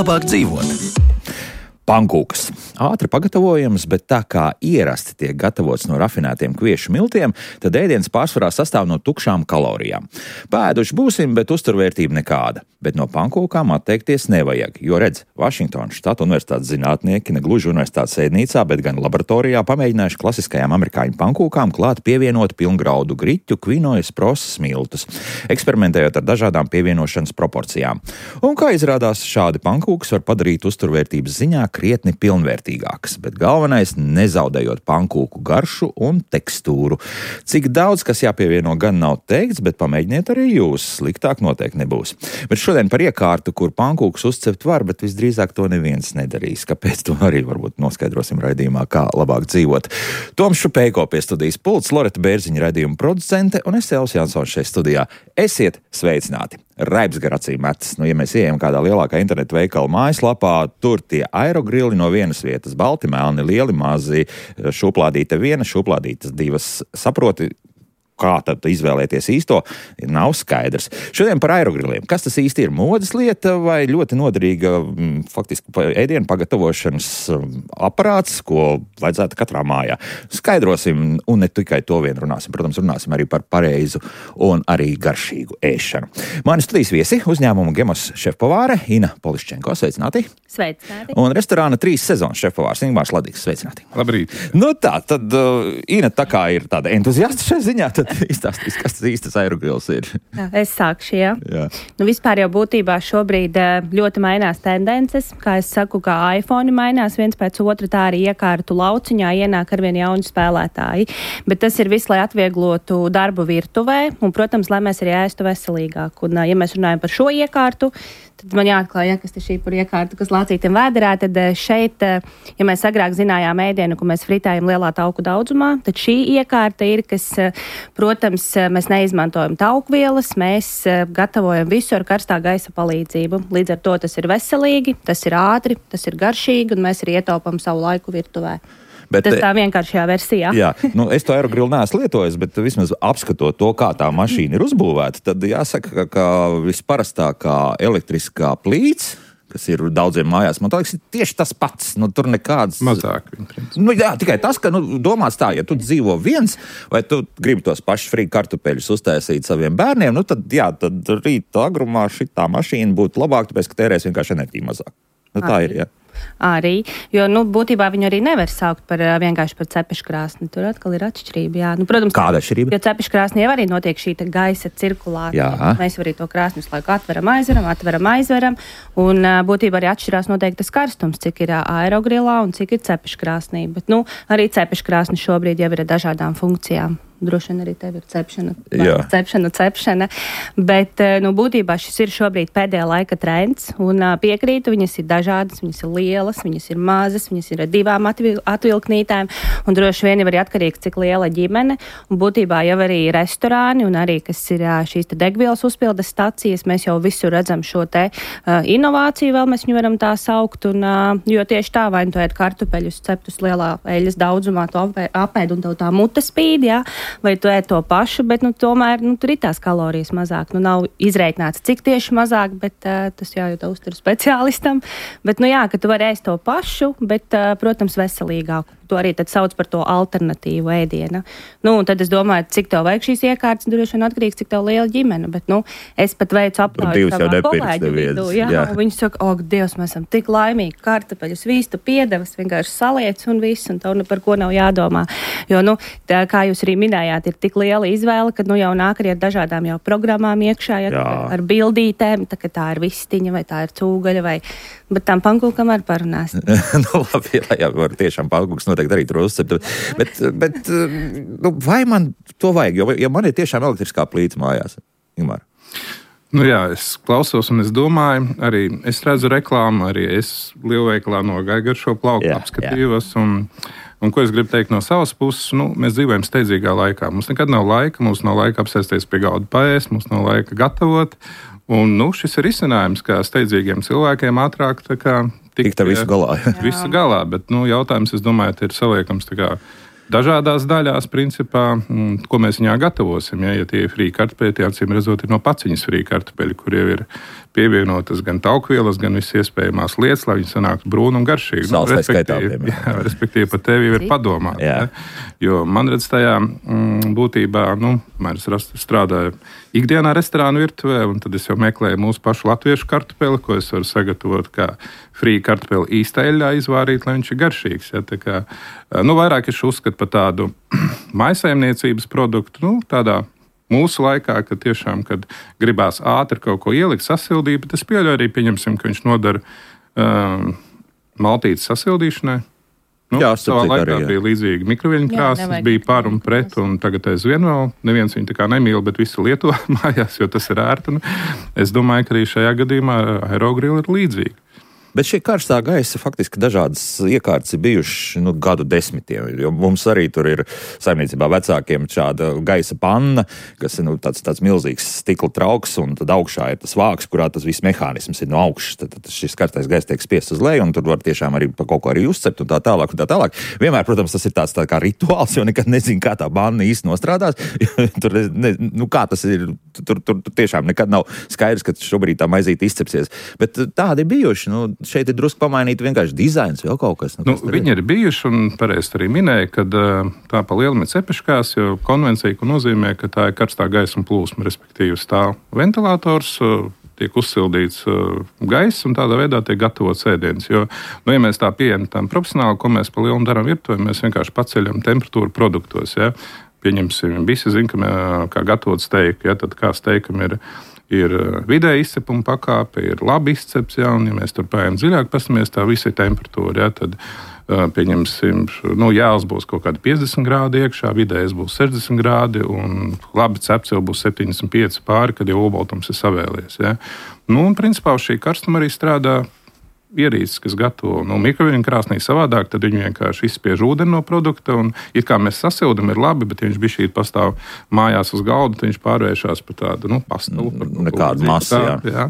labāk dzīvot. Pankūkas. Ātri pagatavojams, bet tā kā ierasti tiek gatavots no rafinētiem kviešu miltiem, tad ēdiens pārsvarā sastāv no tukšām kalorijām. Pēduši būsim, bet uzturvērtība nekāda. Bet no pankūkām atteikties nevajag, jo redz, Vašingtonas štata universitātes zinātnieki ne gluži universitātes ēdnīcā, bet gan laboratorijā pamēģinājuši klasiskajām amerikāņu pankūkām klāt pievienot pilngraudu griķu, kvinojas, prosas miltus, eksperimentējot ar dažādām pievienošanas proporcijām. Un kā izrādās, šādi pankūkas var padarīt uzturvērtības ziņā krietni pilnvērtīgākas, bet galvenais nezaudējot pankūku garšu un tekstūru. Cik daudz, kas jāpievieno, gan nav teikts, bet pamēģiniet arī jūs, sliktāk noteikti nebūs. Bet šodien par iekārtu, kur pankūkus uzcept var, bet visdrīzāk to neviens nedarīs. Kāpēc to arī varbūt noskaidrosim raidījumā, kā labāk dzīvot. Toms Šupejko pie studijas pults, Loreta Bērziņa raidījuma producente un es Elvis Jansons šeit studijā. Esiet sveicināti! Raibs gar acīm metas. Ja mēs ejam kādā lielākā internetu veikala mājaslapā, tur tie aerogrili no vienas vietas, balti, melni, lieli, mazi, šuplādīte viena, šuplādītas divas. Saproti, kā tad izvēlēties īsto, nav skaidrs. Šodien par aerogriliem. Kas tas īsti ir? Modes lieta vai ļoti noderīga faktiski ēdienu pagatavošanas aparāts, ko vajadzētu katrā mājā? Skaidrosim, un ne tikai to vien runāsim. Protams, runāsim arī par pareizu un arī garšīgu ēšanu. Mani studijas viesi uzņēmumu Gemos šefpavāre Ina Poliščenko. Sveicināti! Sveicināti! Un restorāna 3 sezonas šefpavārs Ingmārs Ladīgs. Sveicināti! Labrīt! Nu tā, tad Ina tā kā ir tāda entuziasta šai ziņā, tad izstāstīs, kas tas īstas aerogrils ir. Jā, es sākšu, jā. Nu, vispār jau būtībā šobrīd ļoti mainās tendences. Kā es saku, kā iPhone mainās viens pēc otra, tā arī iekārtu lauciņā ienāk arvien jauni spēlētāji. Bet tas ir viss, lai atvieglotu darbu virtuvē un, protams, lai mēs arī ēstu veselīgāk. Un, ja mēs runājam par šo iekārtu, tad man jāatklāj, kas ir šī par iekārtu, kas lācītiem vēderā, tad šeit, ja mēs agrāk zinājām ēdienu, ko mēs fritējam lielā tauku daudzumā, tad šī iekārta ir, kas, protams, mēs neizmantojam taukvielas, mēs gatavojam visu ar karstā gaisa palīdzību. Līdz ar to tas ir veselīgi, tas ir ātri, tas ir garšīgi, un mēs arī ietaupam savu laiku virtuvē. Bet, tas tā vienkāršajā versijā. Jā, es to aerogrilu neesmu lietojis, bet vismaz apskatot to, kā tā mašīna ir uzbūvēta, tad jāsaka, ka visparastākā elektriskā plīts, kas ir daudziem mājās, man liekas, ir tieši tas pats. Tur nekāds... Mazāk. Jā, tikai tas, ka domāts tā, ja tu dzīvo viens, vai tu gribi tos pašus frī kartupeļus uztaisīt saviem bērniem, tad rīta agrumā šitā mašīna būtu labāk, tāpēc, ka tērēs vienkārši enerģiju mazāk. Tā ir, jā. Arī, jo, būtībā viņu arī nevar saukt par vienkārši par cepeškrāsni. Tur atkal ir atšķirība, jā. Protams, kāda atšķirība? Jo cepeškrāsnī jau arī notiek šī gaisa cirkulācija. Jā. Mēs arī to krāsni visu laiku atveram, aizveram, un būtībā arī atšķirās noteikti tas karstums, cik ir aerogrilā un cik ir cepeškrāsnī. Bet, arī cepeškrāsni šobrīd jau ir ar dažādām funkcijām. Droši vien arī tev ir cepšana. Bet, būtībā šis ir šobrīd pēdējā laika trends, un piekrītu, viņas ir dažādas, viņas ir lielas, viņas ir mazas, viņas ir ar 2 atvilknītēm, un droši vien jau arī atkarīgs, cik liela ģimene, un būtībā jau arī restorāni, un arī, kas ir šīs te degvielas uzpildes stacijas, mēs jau visur redzam šo te inovāciju, vēl mēs viņu varam tā saukt, un, jo tieši tā, vai tu ēd kartupeļus ceptus lielā eļas daudzumā, to apēd, un tev tā mute spīd, jā, vai tu ēd to pašu, bet tomēr tur ir tās kalorijas mazāk. Nav izreikināts, cik tieši mazāk, bet tas jājūt uzturu speciālistam. Bet, ka tu vari ēst to pašu, bet, protams, veselīgāku. To arī tad sauc par to alternatīvu ēdienu. Un tad es domāju, cik tev vajag šīs iekārtas, droši vien atkarīgs, cik tev liela ģimene. Bet, es pat veicu aptauju savā kolēģu vidū. Jā. Viņi saka, Dievs, mēs esam tik laimīgi, kartupeļus, vīstu, piedevas, vienkārši saliec un viss, un tev par ko nav jādomā. Jo, tā, kā jūs arī minējāt, ir tik liela izvēle, ka jau nāk arī ar dažādām jau programmām iekšā, ar bildītēm, tā ir vistiņa, vai tā ir cūgaļa, bet tām pankūkam arī parunās. Labi, jā, var tiešām pankūks noteikti arī tur uzcept. Bet vai man to vajag? Jo man ir tiešām elektriskā plīta mājās. Ingmār. Jā, es klausos un es domāju, arī es redzu reklāmu, arī es lielveikalā nogāju gar šo plauku, apskatījos un ko es gribu teikt no savas puses, mēs dzīvojam steidzīgā laikā. Mums nekad nav laika, mums nav laika apsēsties pie galda paēst, mums nav laika gatavot. Un šis ir risinājums, kā steidzīgiem cilvēkiem ātrāk tikt ar visu galā. Visu galā, bet jautājums, es domāju, ir saliekams dažādās daļās, principā, ko mēs viņā gatavosim. Ja tie ir frī kartupeļi, tie acīm redzot ir no paciņas frī kartupeļi, kur jau ir pievienotas gan taukvielas, gan visas iespējamās lietas, lai viņi sanāktu brūni un garšīgi. Respektīvi, par tevi jau ir padomāt. Ja? Jo man redz tajā būtībā, es strādāju ikdienā restorānu virtuvē, un tad es jau meklēju mūsu pašu latviešu kartupeli, ko es varu sagatavot kā frī kartupeli īstā eļļā izvārīt, lai viņš ir garšīgs. Ja? Tā kā, vairāk es uzskatu par tādu maisaimniecības produktu, tādā mūsu laikā, kad tiešām, kad gribās ātri kaut ko ielikt, sasildīt, bet es pieļauju arī, pieņemsim, ka viņš nodara maltītes sasildīšanai. Savā laikā bija līdzīgi mikroviļņu krāsas, bija par un pret, un tagad aizvien vēl neviens viņu tā kā nemīl, bet visi lieto mājās, jo tas ir ērti. Es domāju, ka arī šajā gadījumā aerogrili ir līdzīgi. Bet šī karstā gaisa faktiski dažādas iekārtas ir bijušas gadu desmitiem. Jo mums arī tur ir saimniecībā vecākiem šāda gaisa panna, kas ir tāds milzīgs stikla trauks, un tad augšā ir tas vāks, kurā tas viss mehānisms ir no augšas. Tad šis karstais gaiss tiek spiests uz leju, un tur var tiešām arī pa kaut ko arī uzcept un tā tālāk. Vienmēr, protams, tas ir tāds tā kā rituāls, jo nekad nezinu, kā tā panna īsti nostrādās. Tur, kā tas ir, tur tiešām nekad nav skaidrs, ka šobrīd tā maizīte izcepsies. Bet tādi bijuši, šeit ir drusku pamainīta vienkārši dizains, vēl kaut kas. Viņi ir bijuši, un pareizi arī minēja, ka tā pa lielam ir cepeškās, jo konvencija, ko nozīmē, ka tā ir karstā gaisa plūsma, respektīvi stāv ventilators, tiek uzsildīts gaiss, un tādā veidā tiek gatavots ēdiens. Jo, ja mēs tā pieejam tam profesionāli, ko mēs pa lielam darām virtuvē, mēs vienkārši paceļam temperatūru produktos. Ja? Pieņemsim, visi zin, kā gatavot steiku, ja? Tad kā steikam ir vidēja izcepuma pakāpe, ir labi izcepts, ja mēs tur pājām dziļāk pastamies, tā visa ir temperatūra, ja, tad pieņemsim, jāls būs kaut kādi 50 grādi iekšā, vidējais būs 60 grādi, un labi cepts jau būs 75 pāri, kad jau obaltums ir savēlies, ja. Un principā šī karstuma arī strādā ierīces, kas gatavo mikroviļņu krāsnī savādāk, tad viņi vienkārši izspiež ūdeni no produkta, un it kā mēs sasildam, ir labi, bet ja viņš bišķīt pastāv mājās uz galda, tad viņš pārvēršās par tādu, pastalu. Nekādu masu, jā.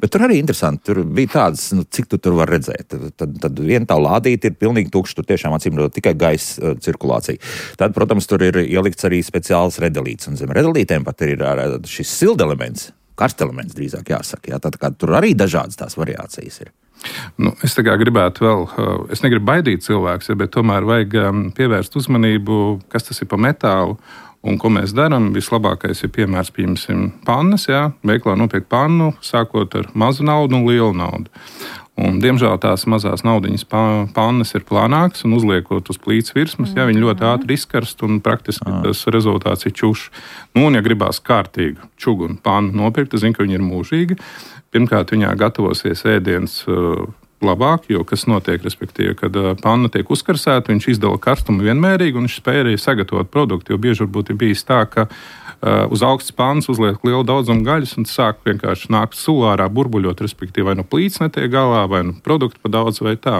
Bet tur arī interesanti, tur bija tāds, cik tu tur var redzēt. Tad viena tā lādīte ir pilnīgi tukša, tur tiešām acīmredzot tikai gaisa cirkulācija. Tad, protams, tur ir ielikts arī speciāls redelīts, un zem redelītēm pat ir šis sildelements, karstelements drīzāk jāsaka. Jā. Tad tur arī dažādas tās variācijas ir. Es tā kā gribētu vēl, es negribu baidīt cilvēkus, bet tomēr vajag pievērst uzmanību, kas tas ir pa metālu un ko mēs darām. Vislabākais ir piemērs, piemēram, pannas, jā, veiklā nopirkt pannu, sākot ar mazu naudu un lielu naudu. Un, diemžēl tās mazās naudiņas pannas ir plānākas un uzliekot uz plīts virsmas, ja viņi ļoti ātri izkarst un praktiski tas rezultāts ir čušs. Un, ja gribās kārtīgu čugunu pannu nopirkt, es zinu, ka viņi ir mūžīgi. Pirmkārt, viņā gatavosies ēdiens labāk, jo kas notiek, respektīvi, kad panna tiek uzkarsēta, viņš izdala karstumu vienmērīgi un viņš spēja arī sagatavot produktu, jo bieži varbūt ir bijis tā, ka uz augstas pannas uzliek lielu daudzumu gaļas un sāk vienkārši nākt sulārā burbuļot, respektīvi, vai no plīts netiek galā, vai no produktu pa daudz vai tā.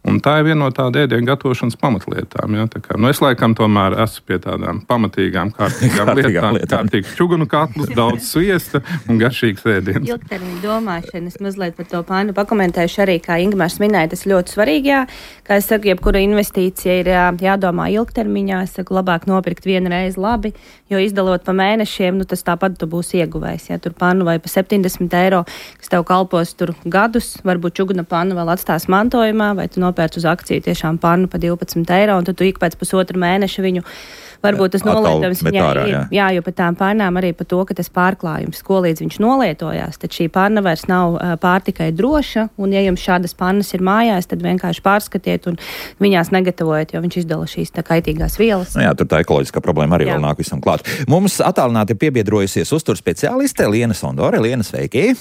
Un tā ir viena no tāda ēdienu gatavošanas pamatlietām. Ja? Tā kā, es laikam tomēr esmu pie tādām pamatīgām, kārtīgām lietām. Kārtīgs čugunu katls, daudz sviesta un garšīgs ēdiens. Ilgtermiņa domāšana, es mazliet par to pannu pakomentēšu arī, kā Ingmārs minēja, tas ļoti svarīgi, jā. Kā es saku, jebkura investīcija ir jādomā ilgtermiņā, es saku, labāk nopirkt vienu reizi labi, jo izdalot pa mēnešiem, tas tāpat tu būsi ieguvējis. Ja tur pannu vai pa 70 eiro, kas tev kalpos tur gadus, varbūt čuguna pannu vēl atstās mantojumā, vai tu nopērc uz akciju tiešām pannu pa 12 eiro, un tad tu ik pēc pusotru mēneša viņu, varbūt tas nolietojums viņai ir. Jā, jo par tām pannām arī par to, ka tas pārklājums, ko līdz viņš nolietojās, tad šī panna vairs nav pārtikai droša, un ja jums šādas pannas ir mājās, tad vienkārši pārskatiet un viņās negatavojiet, jo viņš izdala šīs tā kaitīgās vielas. Jā, tur tā ekoloģiskā problēma arī vēl nāk visam klāt. Mums attālināti piebiedrojusies uzturs speciāliste Liena Sondore. Liena, sveiki!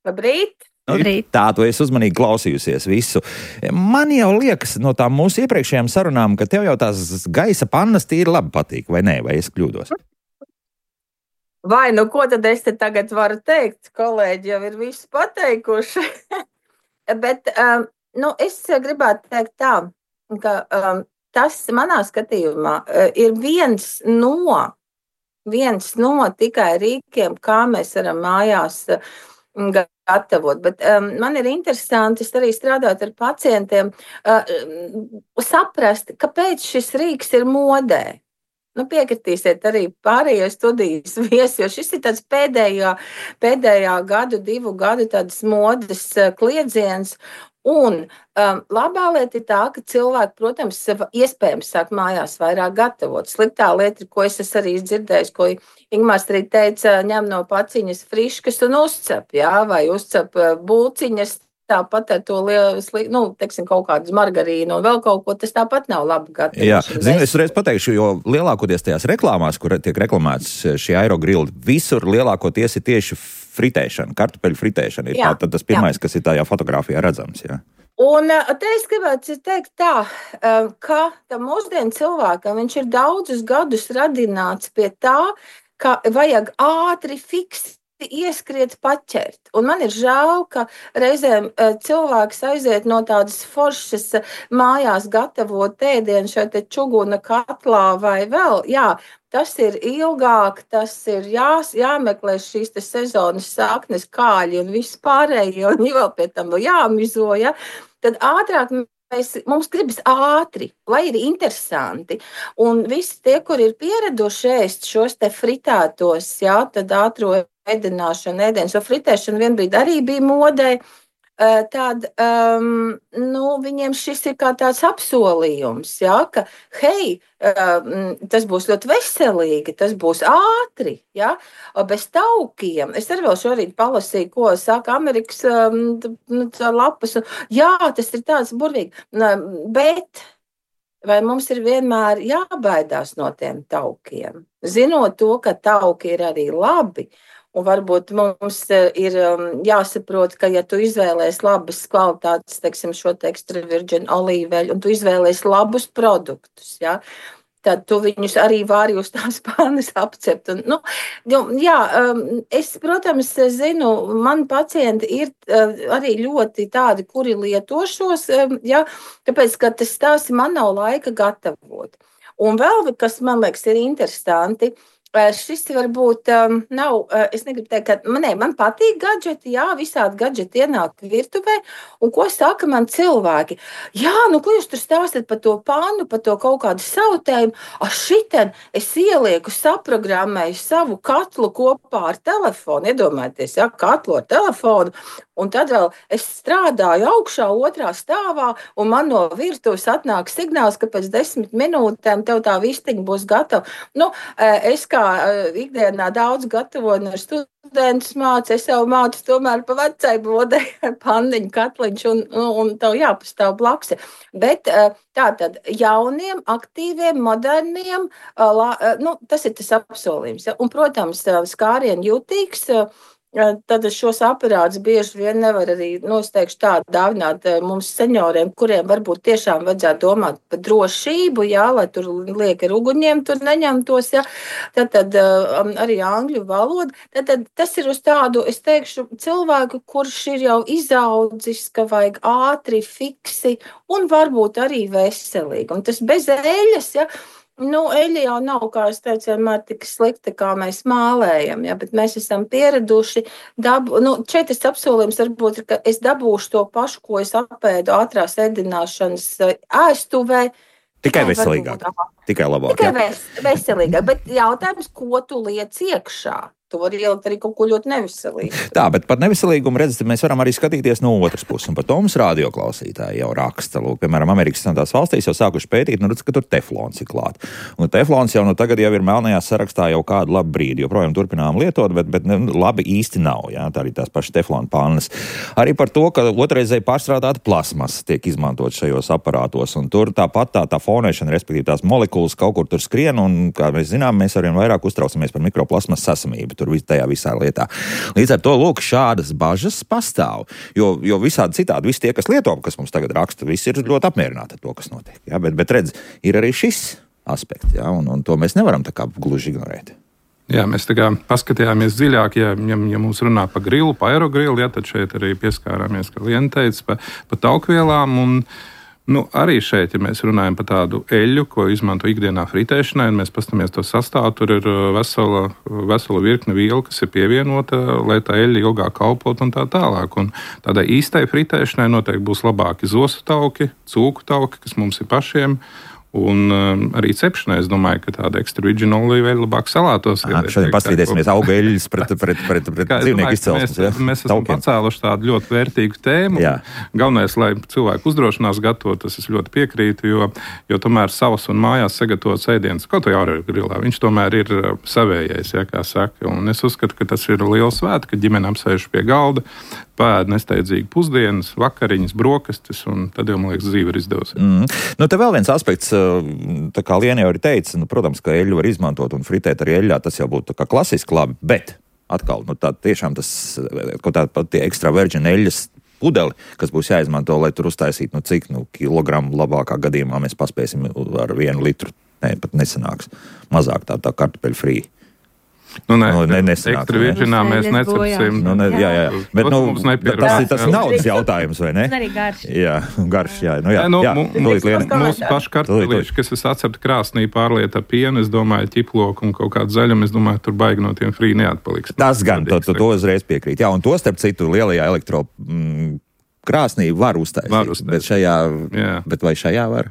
Labrīt! Tā, tu esi uzmanīgi klausījusies visu. Man jau liekas no tām mūsu iepriekšējām sarunām, ka tev jau tās gaisa pannas tīri labi patīk, vai nē, vai es kļūdos? Vai, ko tad es te tagad varu teikt? Kolēģi jau ir visu pateikuši. Bet, es gribētu teikt tā, ka tas manā skatījumā ir viens no tikai rīkiem, kā mēs varam mājās gatavot, bet man ir interesanti arī strādāt ar pacientiem, saprast, kāpēc šis rīks ir modē. Nu, piekritīsiet arī pārējie studijas viesi, jo šis ir tāds pēdējā gadu, 2 gadu tādas modes kliedziens. Un labā lieta ir tā, ka cilvēki, protams, iespējams sāk mājās vairāk gatavot. Sliktā lieta, ko es arī dzirdēju, ko Ingmārs arī teica, ņem no paciņas friškas un uzcep, vai uzcep bulciņas, tāpat ar to teiksim, kaut kādu margarīnu un vēl kaut ko, tas tāpat nav labi gatavošana. Jā, zinu, es reiz pateikšu, jo lielākoties tajās reklāmās, kur tiek reklamēts šī aerogrilli, visur lielākoties ir tieši fritēšana, kartupeļu fritēšana. Ir tas pirmais, kas ir tajā fotogrāfijā redzams. Jā. Un te es gribētu teikt tā, ka tam mūsdienu cilvēkam viņš ir daudzus gadus radināts pie tā, ka vajag ātri fiksi ieskriet paķert. Un man ir žēl, ka reizēm cilvēks aiziet no tādas foršas mājās gatavot ēdienu šeit čuguna katlā vai vēl. Jā, tas ir ilgāk, tas ir jāmeklē šīs sezonas saknes, kāļi un viss pārējie, un vēl pie tam jāmizo, ja? Tad ātrāk mums gribas ātri, lai ir interesanti. Un visi tie, kur ir pieraduši ēst šos te fritētos, tad ātro ēdienas, jo fritēšana vienbrīd arī bija modē, tad viņiem šis ir kā tāds apsolījums, ka hei, tas būs ļoti veselīgi, tas būs ātri, bez taukiem. Es arī vēl šorīt palasīju, ko saka Amerikas lapas. Jā, tas ir tāds burvīgi, bet vai mums ir vienmēr jābaidās no tiem taukiem? Zinot to, ka tauki ir arī labi, un varbūt mums ir jāsaprot, ka, ja tu izvēlēsi labas kvalitātes, teiksim, šo extra virgin olīveļu, un tu izvēlēsi labus produktus, tad tu viņus arī vari uz tās pānas apcept. Un, es, protams, zinu, mani pacienti ir arī ļoti tādi, kuri lieto šos, tāpēc, ka tas man nav laika gatavot. Un vēl, kas man liekas ir interesanti, šis varbūt nav, es negribu teikt, ka man patīk gadžeti, visādi gadžeti ienāk virtuvē, un ko saka man cilvēki? Ko jūs tur stāstat par to pannu, par to kaut kādu sautējumu? Šiten es ielieku, saprogrammēju savu katlu kopā ar telefonu, iedomājieties, katlu ar telefonu, un tad vēl es strādāju augšā, 2. stāvā, un man no virtuves atnāk signāls, ka pēc 10 minūtēm tev tā vistiņa būs gatava. Es kā ikdienā daudz gatavoju ar studentus mācu, es jau mācu tomēr pa vecai bodei ar panniņu katliņš, un tev jāpastāv blakus. Bet tātad jauniem, aktīviem, moderniem, tas ir tas apsolījums. Un, protams, skārien jutīgs, tad šos aparātus bieži vien nevar arī, es teikšu tā, dāvināt mums senioriem, kuriem varbūt tiešām vajadzētu domāt par drošību, lai tur liek ar uguņiem, tur neņemtos, tad arī angļu valoda. Tad tas ir uz tādu, es teikšu, cilvēku, kurš ir jau izaudzis, ka vajag ātri, fiksi un varbūt arī veselīgi. Un tas bez eļas, eļļa jau nav, kā es teicu, vienmēr tik slikta, kā mēs mālējam, bet mēs esam pieraduši. Šeit tas apsolījums varbūt ir, ka es dabūšu to pašu, ko es apēdu ātrās ēdināšanas ēstuvē. Tikai veselīgāk, tikai labāk. Tikai veselīgāk, bet jautājums, ko tu liec iekšā? Tu vari ielikt arī kaut ko ļoti neveselīgu. Tā, bet par neveselīgumu redzat, mēs varam arī skatīties no otras puses. Un par to mums radioklausītāji jau raksta. Lūk, piemēram, Amerikas Savienotās valstīs jau sākuši pētīt, redz, ka tur teflons ir klāt. Un teflons jau tagad jau ir melnajā sarakstā jau kādu labu brīdi. Joprojām turpinām lietot, bet labi īsti nav. Tā arī tās pašas teflona pannas. Arī par to, ka otrreizēji pārstrādāta plasmasa tiek izmantot šajos aparātos. Un tur tāpat tā fonēšana, respektīvi tās molekulas kaut kur tur skrien. Un, kā mēs zinām, mēs arvien vairāk uztraucamies par mikroplasmas sasamību. Tajā visā lietā. Līdz ar to, lūk, šādas bažas pastāv, jo visādi citādi, visi tie, kas lieto, kas mums tagad raksta, visi ir ļoti apmierināti ar to, kas notiek. Bet redz, ir arī šis aspekts, un to mēs nevaram tā kā gluži ignorēt. Jā, mēs tā kā paskatījāmies dziļāk, ja mums runā par grilu, par aerogrilu, tad šeit arī pieskārāmies, kā Liena teica, par taukvielām, un Arī šeit, ja mēs runājam par tādu eļļu, ko izmanto ikdienā fritēšanai, un mēs paskatāmies to sastāvu, tur ir vesela virkne vielu, kas ir pievienota, lai tā eļļa ilgāk kalpot un tā tālāk. Un tādai īstai fritēšanai noteikti būs labāki zosu tauki, cūku tauki, kas mums ir pašiem. Un arī cepšanai, es domāju, ka tāda extra virgin olīveļa labāk salātos. Šodien paskatīsimies auga eļļas pret dzīvnieku izcelsmes. Mēs esam pacēluši tādu ļoti vērtīgu tēmu. Galvenais, lai cilvēku uzdrošinās gatavot, tas es ļoti piekrītu, jo tomēr savas un mājās sagatavots ēdiens, kaut vai aerogrilā, viņš tomēr ir savējais, kā saka. Un es uzskatu, ka tas ir liels svēts, ka ģimene apsēž pie galda, pēd nesteidzīgi pusdienas, vakariņas, brokastis, un tad jau, man liekas, dzīve ir izdevusies. Te vēl viens aspekts, tā kā Liena jau ir teica, protams, ka eļļu var izmantot un fritēt arī eļļā, tas jau būtu tā kā klasiski labi, bet atkal, tā tiešām tas, kaut tā pat tie extra virgin eļļas pudeli, kas būs jāizmanto, lai tur uztaisītu, cik kilogramu labākā gadījumā mēs paspēsim ar 1 litru, pat nesanāks, mazāk tā kartupeļu frī. Ekstra virģinā mēs necepsim. Bet tas ir naudas jautājums, vai ne? Tas arī garš. Garš. Mūsu paši kartupelīši, kas es atceptu krāsnī pārlieta pienu, es domāju, ķiploku un kaut kādu zaļumu, es domāju, tur baigi no tiem frī neatpaliks. Tas gan, to uzreiz piekrīt. Un to starp citu lielajā elektro krāsnī var uztaisīt. Bet vai šajā var?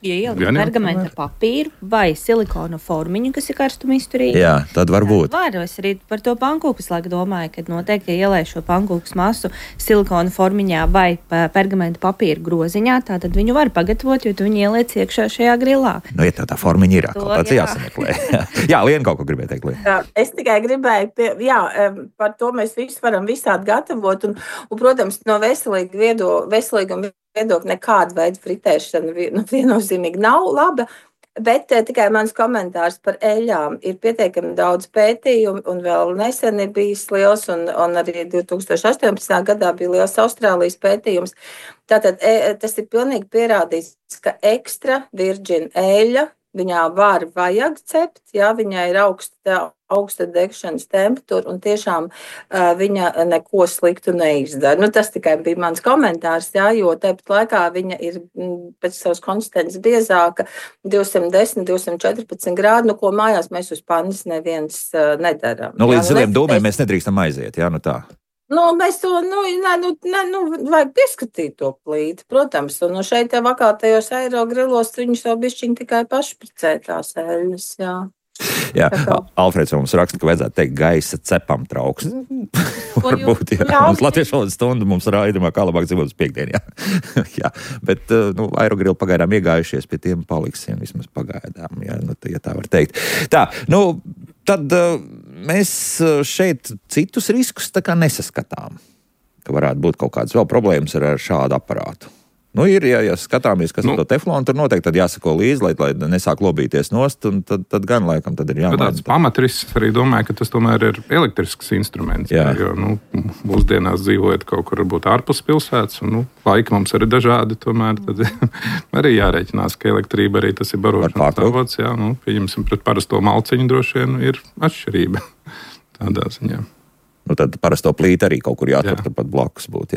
Ja ielikt pergamenta papīru vai silikona formiņu, kas ir karstumizturīgi. Tad var būt. Es arī par to pankūkas laiku domāju, ka noteikti, ja ielēj šo pankūkas masu silikona formiņā vai pergamenta papīra groziņā, tad viņu var pagatavot, jo tu viņu ieliec iekšā šajā grilā. Ja tā formiņa ir, kaut tāds jāsameklē. Liena kaut ko gribēja teikt, Liena. Es tikai gribēju, par to mēs visu varam visādi gatavot, un protams, no veselīguma viedokļa nekāda veida fritēšana viennozīmīgi nav laba, bet tikai mans komentārs par eļļām ir pietiekami daudz pētījumu, un vēl nesen ir bijis liels, un arī 2018. gadā bija liels Austrālijas pētījums. Tātad tas ir pilnīgi pierādīts, ka extra virgin eļļa viņā vajag cept, viņai ir augsta degšanas temperatūra, un tiešām viņa neko sliktu neizdara. Tas tikai bija mans komentārs, jo tāpat laikā viņa ir pēc savas konsistences biezāka, 210, 214 grādi, ko mājās mēs uz pannas neviens nedaram. Līdz ziliem dūmiem mēs nedrīkstam aiziet, tā. Mēs to, vajag pieskatīt to plīti, protams, un šeit vakar tajos aerogrilos viņus jau bišķiņ tikai pašpricē tās eļļas, Alfreds mums raksta, ka vajadzētu teikt gaisa cepam trauks. Varbūt, Mums latviešu valodas stunda mums raidījumā, kā labāk dzīvot uz piekdienu, Bet, aerogrili pagaidām iegājušies, pie tiem paliksim vismaz pagaidām, ja tā var teikt. Tad mēs šeit citus riskus tā kā nesaskatām, ka varētu būt kaut kādas vēl problēmas ar šādu aparātu. Ir, ja skatāmies, kas ir to teflonu, tur noteikti tad jāsako līdzi, lai nesāk lobīties nost, un tad gan laikam tad ir jāmaina. Tāds pamatrisks arī domāju, ka tas tomēr ir elektrisks instruments, jo mūsdienās dzīvojot kaut kur varbūt ārpus pilsētas, un laika mums arī dažādi, tomēr tad arī jārēķinās, ka elektrība arī tas ir barošanas avots, pieņemsim pret parasto malciņu droši vien ir atšķirība tādā ziņā. Tad parasto plīti arī kaut kur jātur pat blakus būt.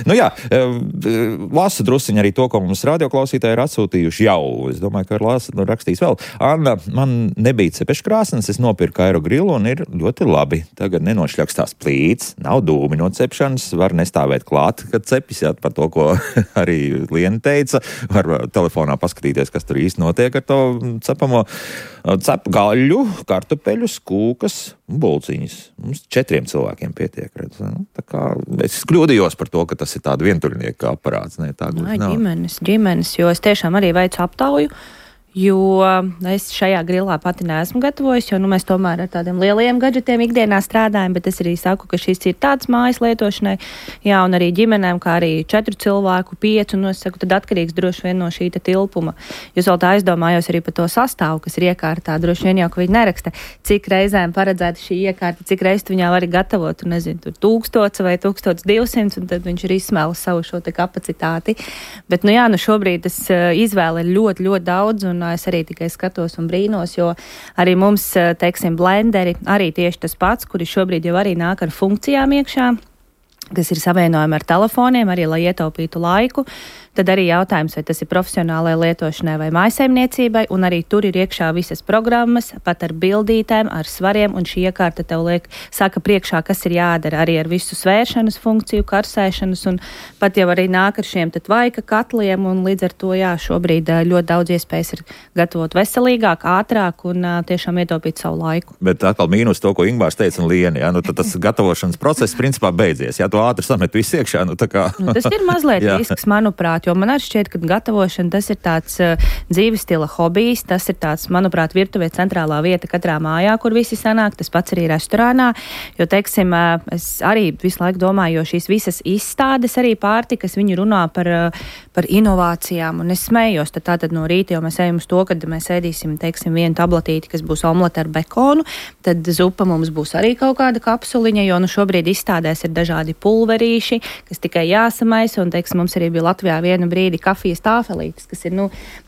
Lasu drusiņi arī to, ko mums radioklausītāji ir atsūtījuši jau. Es domāju, ka rakstīs vēl. Anna, man nebija cepeškrāsnes, es nopirku aerogrilu un ir ļoti labi. Tagad nenošļakstās plīts, nav dūmi no cepšanas, var nestāvēt klāt, kad cepis, par to, ko arī Liena teica. Var telefonā paskatīties, kas tur īsti notiek ar to cepamo. Cep gaļu, kartupeļus, kūkas un bulciņas. Mums 4 cilvēkiem pietiek. Tā kā es kļūdījos par to, ka tas ir tāda vientuļnieka aparāts. Ģimenes, jo es tiešām arī veicu aptauju, jo es šajā grilā pati neesmu gatavojis, jo mēs tomēr ar tādiem lieliem gadžetiem ikdienā strādājam, bet es arī saku, ka šis ir tāds mājas lietošanai, un arī ģimenēm, kā arī 4 cilvēku, 5, un es saku, tad atkarīgs droši vien no šī tilpuma. Jūs vēl tā aizdomājos arī par to sastāvu, kas ir iekārtā, droši vien jau, ka viņi neraksta, cik reizēm paredzēta šī iekārta, cik reizes tu viņā vari gatavot, un nezinu, tur 1000 vai 1200, un tad viņš ir izsmēlis savu šo kapacitāti. Bet, šobrīd tas izvēle ir ļoti, ļoti daudz, un es arī tikai skatos un brīnos, jo arī mums, teiksim, blenderi arī tieši tas pats, kuri šobrīd jau arī nāk ar funkcijām iekšā. kas ir savienojami ar telefoniem, arī lai ietaupītu laiku. Tad arī jautājums, vai tas ir profesionālai lietošanai vai mājsaimniecībai, un arī tur ir iekšā visas programmas, pat ar bildītēm, ar svariem, un šī iekārta tev saka priekšā, kas ir jādara arī ar visu svēršanas funkciju, karsēšanas, un pat jau arī nāk ar šiem tvaika katliem, un līdz ar to, jā, šobrīd ļoti daudz iespējas ir gatavot veselīgāk, ātrāk un tiešām ietaupīt savu laiku. Bet atkal mīnus to, ko Ingmārs teica un Liena, jā, tad tas gatavošanas process principā beidzies, jā, to ātri samet visu iekšā, tā kā. Tas ir mazliet risks, manuprāt, jo man arī šķiet, ka gatavošana tas ir tāds dzīves stila hobijs, tas ir tāds, manuprāt, virtuvē centrālā vieta katrā mājā, kur visi sanāk, tas pats arī restorānā, jo, teiksim, es arī visu laiku domāju, jo šīs visas izstādes arī pārtikas, viņi runā par inovācijām, un es smējos, tātad no rīta, jo mēs ejam uz to, kad mēs ēdīsim, teiksim, vienu tabletīti, kas būs omlete ar bekonu, tad zupa mums būs arī kaut kāda kapsuliņa, jo, šobrīd izstādēs ir dažādi pulverīši, kas tikai jāsamaisa, un, teiksim, mums arī bija Latvijā vienu brīdi kafijas tāfelītes, kas ir,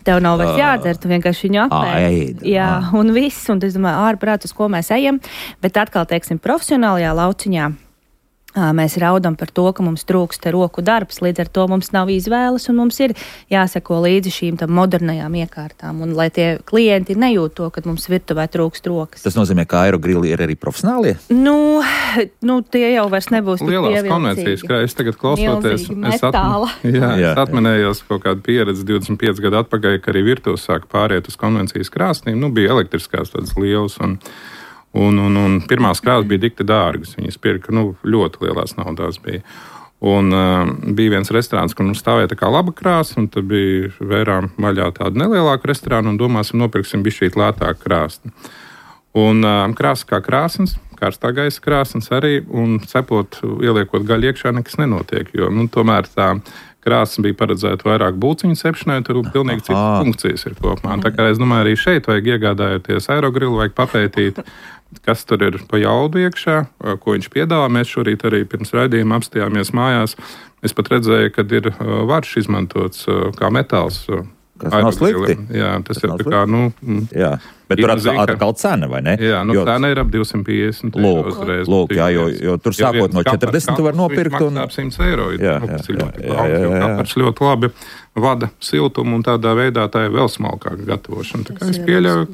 tev nav vairs jādzer, tu vienkārši viņu apēd. Jā, un viss, un es domāju, ārprāt, uz ko mēs ejam, bet atkal, teiksim, profesionālajā lauciņā mēs raudam par to, ka mums trūkst roku darbs, līdz ar to mums nav izvēles, un mums ir jāseko līdzi šīm modernajām iekārtām, un lai tie klienti nejūt to, ka mums virtuvē trūkst rokas. Tas nozīmē, ka aerogrilli ir arī profesionālie? Tie jau vairs nebūs tik lielās konvencijas, kā es tagad klausoties, es atminējos kaut kādu pieredzi 25 gadu atpakaļ, ka arī virtuves sāka pāriet uz konvencijas krāsnīm, bija elektriskās tādas lielas, un pirmās krāsas bija dikti dārgas. Viņas pirka, ļoti lielās naudās bija. Un bija viens restorāns, kur mums stāvēja tā kā laba krāsa, un tad bija vērām vaļā tādu nelielāku restorānu, un domāsim, nopirksim bišķīt lētāku krāsni. Un krāsa kā krāsnes, karstā gaisa krāsnes arī, un cepot, ieliekot gaļu iekšā, nekas nenotiek, jo, tomēr tā krāsa bija paredzēta vairāk būciņu cepšanai, tur pilnīgi citas funkcijas ir kopumā. Tā kā es domāju, arī šeit vajag iegādājoties aerogrilu, vajag papētīt, kas tur ir pa jaudu iekšā, ko viņš piedāvā. Mēs šorīt arī pirms raidījuma apstājāmies mājās. Es pat redzēju, kad ir varš izmantots kā metāls. Kas nav slikti. Jā, tas ir tā kā, Jā, bet tur atkal cena, vai ne? Jā, cena ir ap 250 uzreiz. Lūk, jā, jo tur sākot no 40 tu var nopirkt. Maksā ap 100 eiro. Tas ir kapars ļoti labi vada siltumu, un tādā veidā tā ir vēl smalkāka gatavošana. Tā kā es pieļauju,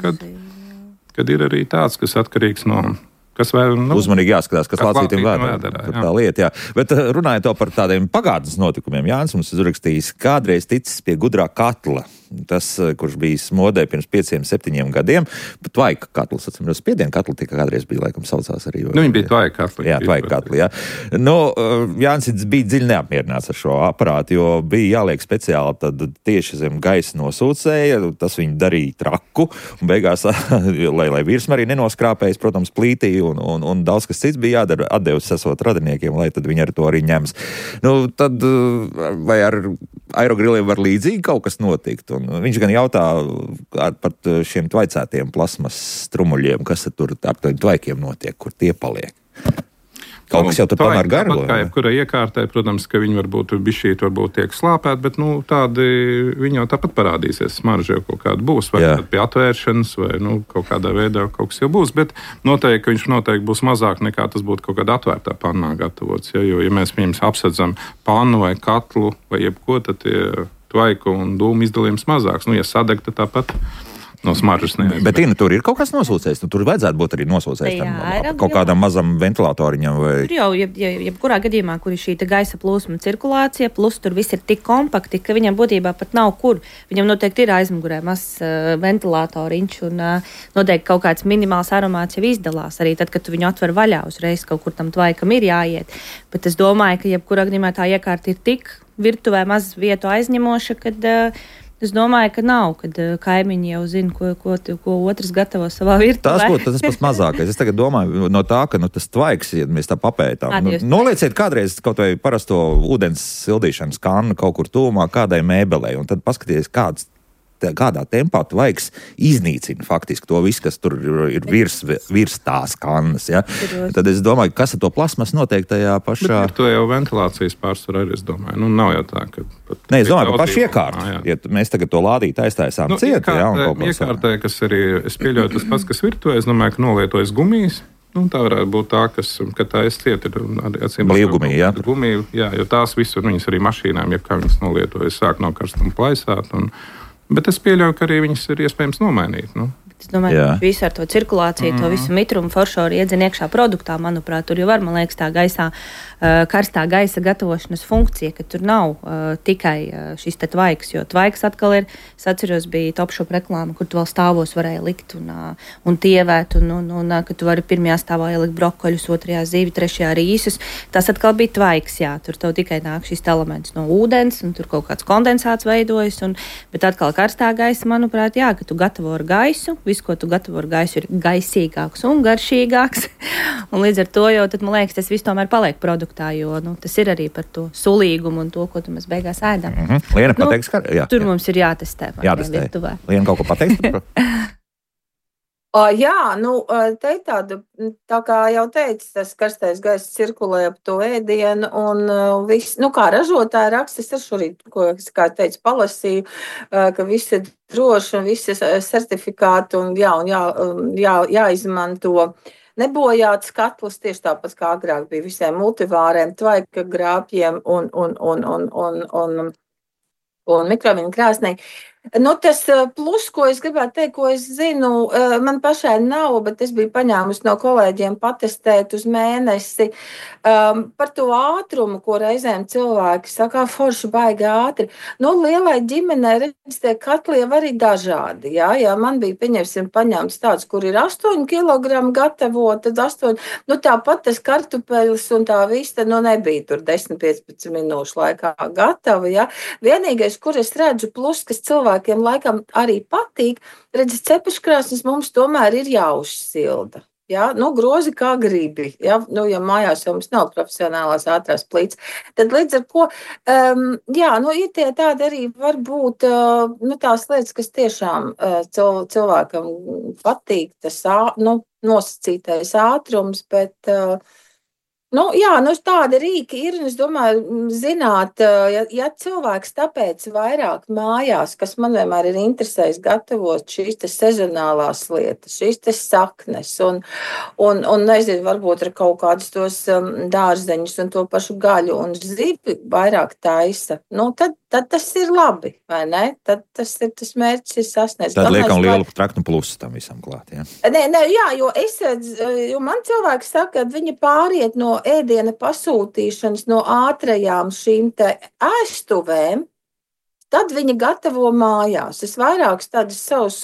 kad ir arī tāds, kas atkarīgs no... Uzmanīgi jāskatās, kas lācītiem vēdā. Tā lieta, jā. Bet runājot par tādiem pagātnes notikumiem, Jānis mums uzrakstījis, kādreiz ticis pie gudrā katla. Tas, kurš bija modē pirms 5-7 gadiem, bet tvaika katls, atcīmredzot, spiedienu katli tika kādreiz bija, laikam, saucās arī. Viņi bija tvaika katli. Jā, tvaika katli, jā. Jānis bija dziļi neapmierināts ar šo aparātu, jo bija jāliek speciāli tad tieši zem gaisa nosūcēja, tas viņi darīja traku, un beigās, lai virsma arī nenoskrāpējas, protams, plītī, un daudz kas cits bija jādara, atdevis esot radiniekiem, lai tad viņi ar to arī ņems. Tad vai ar aerogriliem var līdzīgi kaut kas notikt? Un viņš gan jautā par šiem tvaicētiem plasmas strumuļiem, kas tur ar tiem tvaikiem notiek, kur tie paliek. Kaut kas jau tur tomēr garlo. Kā jebkura iekārtē, protams, ka viņi varbūt tiek slāpēti, bet tādi viņi jau tāpat parādīsies. Smarža jau kaut kāda būs, vai pie atvēršanas, vai kaut kādā veidā kaut kas jau būs, bet noteikti, ka viņš noteikti būs mazāk nekā tas būtu kaut kādā atvērtā pannā gatavots. Jo, ja mēs apsedzam pannu vai katlu vai jebko, tad tie tvaiku un dūmu izdalījums mazāks. Ja sadeg, tad tāpat no smaržas nevies. Bet tur ir kaut kas nosūcējis. Tur vajadzētu būt arī nosūcējis tam kaut kādam mazam ventilatoriņam. Vai... Tur jau, jebkurā gadījumā, kur ir šī gaisa plūsma cirkulācija, plus tur viss ir tik kompakti, ka viņam būtībā pat nav kur. Viņam noteikti ir aizmugurē mazs ventilatoriņš un noteikti kaut kāds minimāls aromāts jau izdalās. Arī tad, kad tu viņu atver vaļā, uzreiz kaut kur tam tvaikam ir jāiet. Bet es domāju, ka jebkurā gadījumā tā iekārta ir tik virtuvē maz vietu aizņemoša, kad es domāju, ka nav, kad kaimiņi jau zina, ko otrs gatavo savā virtuvē. Tas pats mazākais. Es tagad domāju no tā, ka tas tvaiks, ja mēs tā papētām. Nolieciet kādreiz kaut vai parasto ūdens sildīšanas kannu kaut kur tūmā kādai mēbelei, un tad paskatieties, kādā tempā tvaiks iznīcina faktiski to visu, kas tur ir virs tās kannas. Ja? Tad es domāju, kas ar to plasmas notiek tajā pašā... Bet to jau ventilācijas pārsvarā arī, es domāju. Nav jau tā, ka... Nē, es domāju, par pašu iekārtu. Ja mēs tagad to lādīt aiztaisām ciet. Iekārtē, kas arī, es pieļauju tas pats, kas virtuvē, es domāju, ka nolietojas gumijas, Tā varētu būt tā, ka tā cieta ir blīvgumija. Jā, jo tās visur, viņas arī mašīnām, ja kā viņas nolietojas, sāk no karstuma plaisāt. Bet es pieļauju, ka arī viņas ir iespējams nomainīt. Es domāju, ka visu ar to cirkulāciju, to visu mitrumu foršoru iedzen iekšā produktā, manuprāt, tur jau var, man liekas, tā gaisā, karstā gaisa gatavošanas funkcija, ka tur nav tikai šis te tvaiks, jo tvaiks atkal ir, es atceros, bija Topshop reklāma, kur tu vēl stāvos varēja likt un tievēt, un ka tu vari pirmajā stāvā ielikt brokoļus, otrajā zīvi, trešajā rīsus. Tas atkal bija tvaiks, jā, tur tev tikai nāk šis elements no ūdens, un tur kaut kāds kondensāts veidojas, bet atkal karstā gaisa, manuprāt, jā, ka tu gatavo ar gaisu, viss, ko tu gatavo ar gaisu, ir gaisīgāks un garšīgāks. Un līdz ar to jau, tad, man liekas, tas viss tomēr paliek produktā, jo tas ir arī par to sulīgumu un to, ko tu mēs beigās ēdam. Liena pateiks, ka tur mums ir jātestē. Liena kaut ko pateiks? Jā, te ir tāda, tā kā jau teicu, tas karstais gaiss cirkulē ap to ēdienu un viss, kā ražotāja raksta, es šorīt, kā teicu, palasīju, ka viss ir droši un visi certifikāti un jāizmanto nebojāts katls, tieši tāpat kā agrāk bija visiem multivāriem, tvaika grāpjiem un mikroviņu krāsnī. Tas plus, ko es gribētu teikt, ko es zinu, man pašai nav, bet es biju paņēmusi no kolēģiem patestēt uz mēnesi par to ātrumu, ko reizēm cilvēki saka, forši baigi ātri. Lielai ģimenei, redz, tie katli jau arī dažādi, jā, man bija, pieņemsim, paņemts tāds, kur ir 8 kilogramu gatavo, tad 8, tāpat tas kartupeļs un tā vista, nebija tur 10-15 minūšu laikā gatava, jā. Vienīgais, kur es redzu plus, kas cilvēkiem laikam arī patīk, redz, cepeškrāsnes mums tomēr ir jāuzsilda. Ja? Grozi kā gribi. Ja mājās jau mums nav profesionālās ātrās plīts. Tad līdz ar ko, ir tie tādi arī varbūt tās lietas, kas tiešām cilvēkam patīk, tas nosacītais ātrums, bet tādi rīki ir, un es domāju, zināt, ja cilvēks tāpēc vairāk mājās, kas man vienmēr ir interesējis gatavot šīs te sezonālās lietas, šīs te saknes, un nezinu, varbūt ar kaut kādus tos dārzeņus un to pašu gaļu un zivi vairāk taisa, tad tas ir labi, vai ne? Tad tas mērķis ir sasniegts. Tad liekam lielu traknu plusu tam visam klāt, jā? Jo man cilvēki saka, ka viņi pāriet no ēdiena pasūtīšanas no ātrajām šīm te ēstuvēm, tad viņi gatavo mājās. Es vairākus tādus savus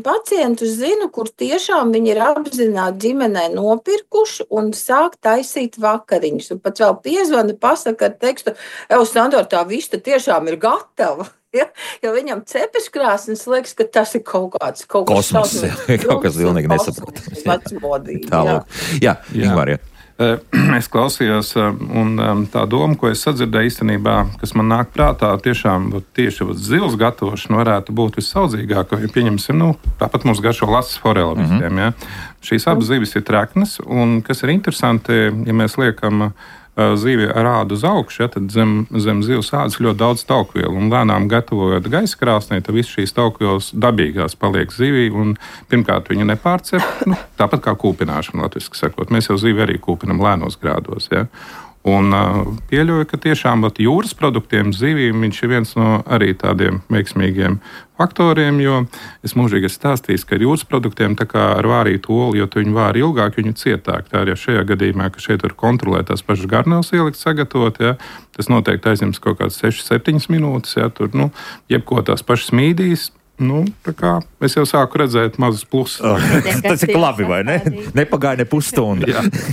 pacientus zinu, kur tiešām viņi ir apzināti ģimenē nopirkuši un sāk taisīt vakariņus. Un pat vēl piezvana, pasaka ar tekstu, Sandor, tā vista tiešām ir gatava. Ja? Jo viņam cepeškrāsnes liekas, ka tas ir kaut kāds kosmos, kaut kas pilnīgi nesaprotams. Vecmodīgi. Jā, Ingmār, jā. Es klausījos, un tā doma, ko es sadzirdēju īstenībā, kas man nāk prātā, tiešām tieši zivs gatavošana varētu būt vissaudzīgākā. Ja pieņemsim, tāpat mums garšo lasis forela visiem. Ja? Šīs abas zivis ir treknas, un kas ir interesanti, ja mēs liekam zivi ar ādu uz augšu, ja, tad zem zivs ādas ļoti daudz taukvielu, un lēnām gatavojot gaisa krāsnī, tad viss šīs taukvielas dabīgās paliek zivī, un pirmkārt viņu nepārcep, tāpat kā kūpināšana latviski sakot. Mēs jau zivi arī kūpinam lēnos grādos, ja. Un pieļauju, ka tiešām jūras produktiem zivīm viņš ir viens no arī tādiem veiksmīgiem faktoriem, jo es mūžīgi esmu stāstījis, ka ar jūras produktiem tā kā ar vārītu olu, jo tu viņu vāri ilgāk, viņu cietāk. Tā arī šajā gadījumā, ka šeit var kontrolēt tās pašas garnēlas ielikt, sagatavot, ja, tas noteikti aizņems kaut kādas 6-7 minūtes, ja, tur, jebko tās pašas mīdīs. Tā kā es jau sāku redzēt mazus plusus. Tas ir labi, vai ne? Nepagāja ne pusstundu.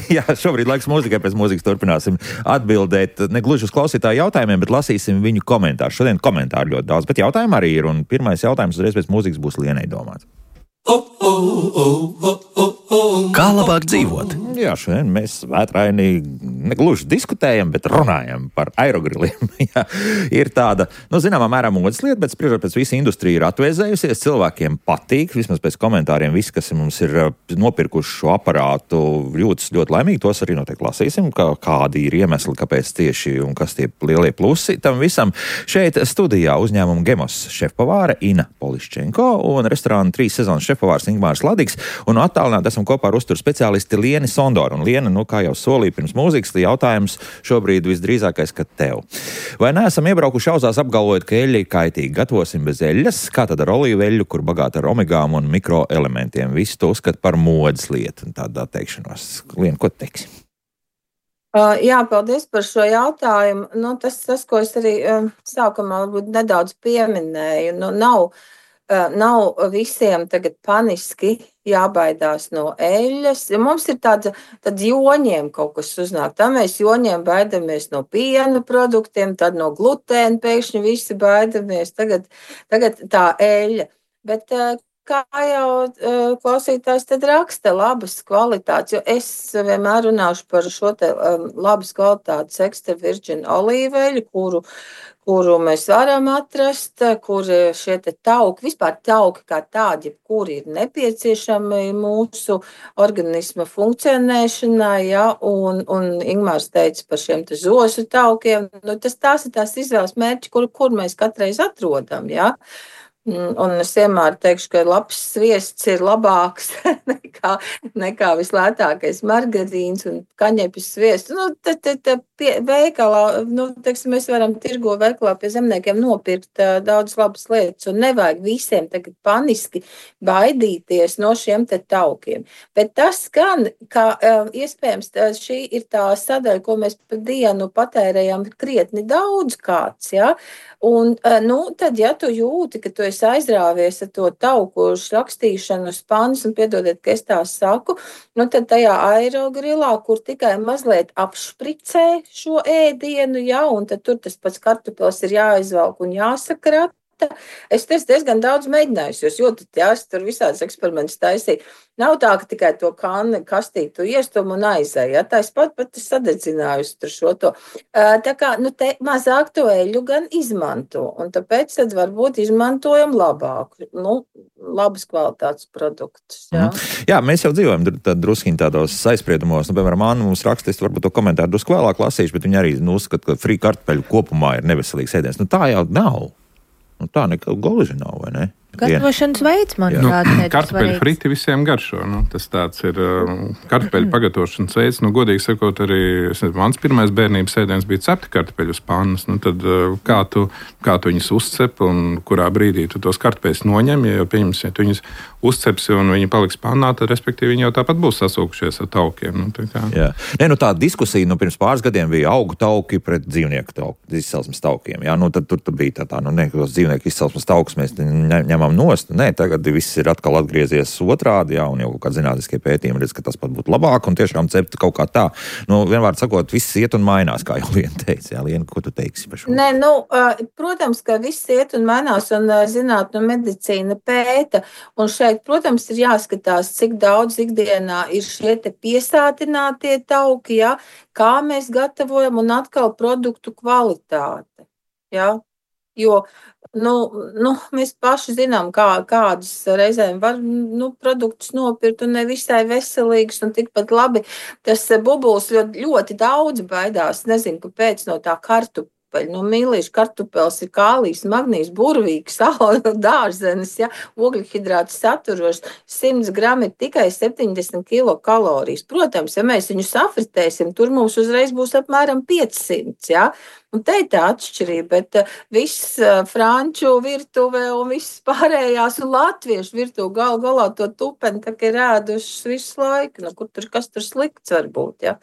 Jā, šobrīd laiks mūzikai, pēc mūzikas turpināsim atbildēt ne gluži uz klausītāju jautājumiem, bet lasīsim viņu komentārus. Šodien komentāru ļoti daudz, bet jautājumu arī ir, un pirmais jautājums uzreiz pēc mūzikas būs Lienai domāts. Kā labāk dzīvot? Jā, šodien mēs vētraini negluži diskutējam, bet runājam par aerogriliem. Ir tāda, zināmā mērā modes lieta, bet spriežot pēc visa industrija ir atvēzējusies, cilvēkiem patīk, vismaz pēc komentāriem visi, kas mums ir nopirkuši šo aparātu, jūtas ļoti laimīgi, tos arī noteikti lasīsim, kādi ir iemesli, kāpēc tieši un kas tie lielie plusi tam visam. Šeit studijā uzņēmuma Gemos šefpavāre Ina Poliščenko un restorāna 3 sezonas šefpavārs Ingmārs Ladigs, un attālināti esam kopā ar uzturu speciālisti Lieni Sondoru. Un Liena, kā jau solīja pirms mūzikas, jautājums šobrīd visdrīzākais, ka tev. Vai neesam iebraukuši auzās apgalvojot, ka eļļa ir kaitīga? Gatavosim bez eļļas? Kā tad ar olīvu eļļu, kur bagāta ar omegām un mikroelementiem? Visi to uzskata par modes lietu un tādā teikšanos. Liena, ko teiksi? Jā, paldies par šo jautājumu. Tas, ko es arī sākumā varbūt nedaudz pieminēju, nav visiem tagad paniski jābaidās no eļļas. Mums ir tad joņiem kaut kas uznāk. Tā mēs joņiem baidamies no piena produktiem, tad no glutēna pēkšņi visi baidamies. Tagad tā eļļa. Bet kā jau klausītājs tad raksta, labas kvalitātes, jo es vienmēr runāšu par šo te labas kvalitātes extra virgin olīveļu, kuru mēs varam atrast, kur šie te tauki, vispār tauki kā tādi, kuri ir nepieciešami mūsu organisma funkcionēšanai, ja, un Ingmārs teica par šiem te zosu taukiem, tās ir tās izvēles mērķi, kur mēs katreiz atrodam, ja. Un es vienmēr teikšu, ka labs sviests ir labāks nekā vislētākais margarīns un kaņepes sviests. Veikalā, mēs varam tirgo veikalā pie zemniekiem nopirkt daudz labas lietas un nevajag visiem tagad paniski baidīties no šiem te taukiem. Bet tas gan, ka iespējams šī ir tā sadaļa, ko mēs pa dienu patērējam krietni daudz kāds, ja? Un, tad, ja tu jūti, ka tu esi aizrāvies ar to tauku rakstīšanu uz pannas, un piedodiet, ka es tā saku, tad tajā aerogrilā, kur tikai mazliet apšpricē šo ēdienu, ja, un tad tur tas pats kartupels ir jāizvelk un jāsakrata. Es diezgan daudz mēģināju, jūs jūtat, jā, es tur visādas eksperimentus taisīju. Nav tā, ka tikai to kastītu iestum un aizēju, ja, tā es pat sadedzinājusi tur šo to. Tā kā, te mazāk to eļu gan izmanto, un tāpēc tad varbūt izmantojam labāku, labas kvalitātes produktus, jā. Jā, mēs jau dzīvojam druskiņi tādos aizspriedumos, piemēram, Anna mums raksta, es varbūt to komentāru drusku vēlāk lasīšu, bet viņi arī uzskata, ka frī kartupeļu kopumā ir neveselīgs ēdiens. Tā jau nav. Tā nekā gluži nav, vai ne? Gatavošanas veids, manuprāt, kartupeļu friti visiem garšo. Tas tāds ir kartupeļu pagatavošanas veids. Godīgi sakot, arī mans pirmais bērnības ēdiens bija cepti kartupeļu uz pannas. Tad kā tu viņus uzcep un kurā brīdī tu tos kartupeļus noņem, ja pieņemsi, ja tu viņus uzcepsi un viņi paliks pannā, tad respektīvi viņi jau tāpat būs sasūkušies ar taukiem. Jā. Tā diskusija pirms pāris gadiem bija augu tauki pret dzīvnieku izcelsmes taukiem. Jā, tad tur bija tos dzīvnieku izcelsmes taukus mēs ņemam nost. Nē, tagad viss ir atkal atgriezies otrādi, jā, un jau kaut kādi zinātniskie pētījumi redz, ka tas pat būtu labāk, un tiešām cept kaut kā tā. Vienmēr sakot, viss iet un mainās, kā jau Liena teica. Jā, Liena, ko tu teiksi par šo? Nē, protams, ka viss iet un mainās, un zinātne un medicīna pēta, un šeit, protams, ir jāskatās, cik daudz ikdienā ir šie te piesātinātie tauki, jā, kā mēs gatavojam, un atkal produktu kvalitāte, jā. Jo mēs paši zinām, kādus reizēm var produktus nopirkt un nevisai veselīgus un tikpat labi. Tas bubulis ļoti daudz baidās, nezinu, kāpēc no tā kartupeļa. Mīlīšu kartupels ir kālijs, magnijs, burvīgs, sāla, dārzenis, ja, ogļhidrāts saturošs, 100 grami ir tikai 70 kilokalorijas. Protams, ja mēs viņu safritēsim, tur mums uzreiz būs apmēram 500, ja. Un te ir tā atšķirība, bet viss franču virtuvē un viss pārējās un latviešu virtuve galā to tupeni tā kā ir ēdušas visu laiku. Kas tur slikts var būt, ja.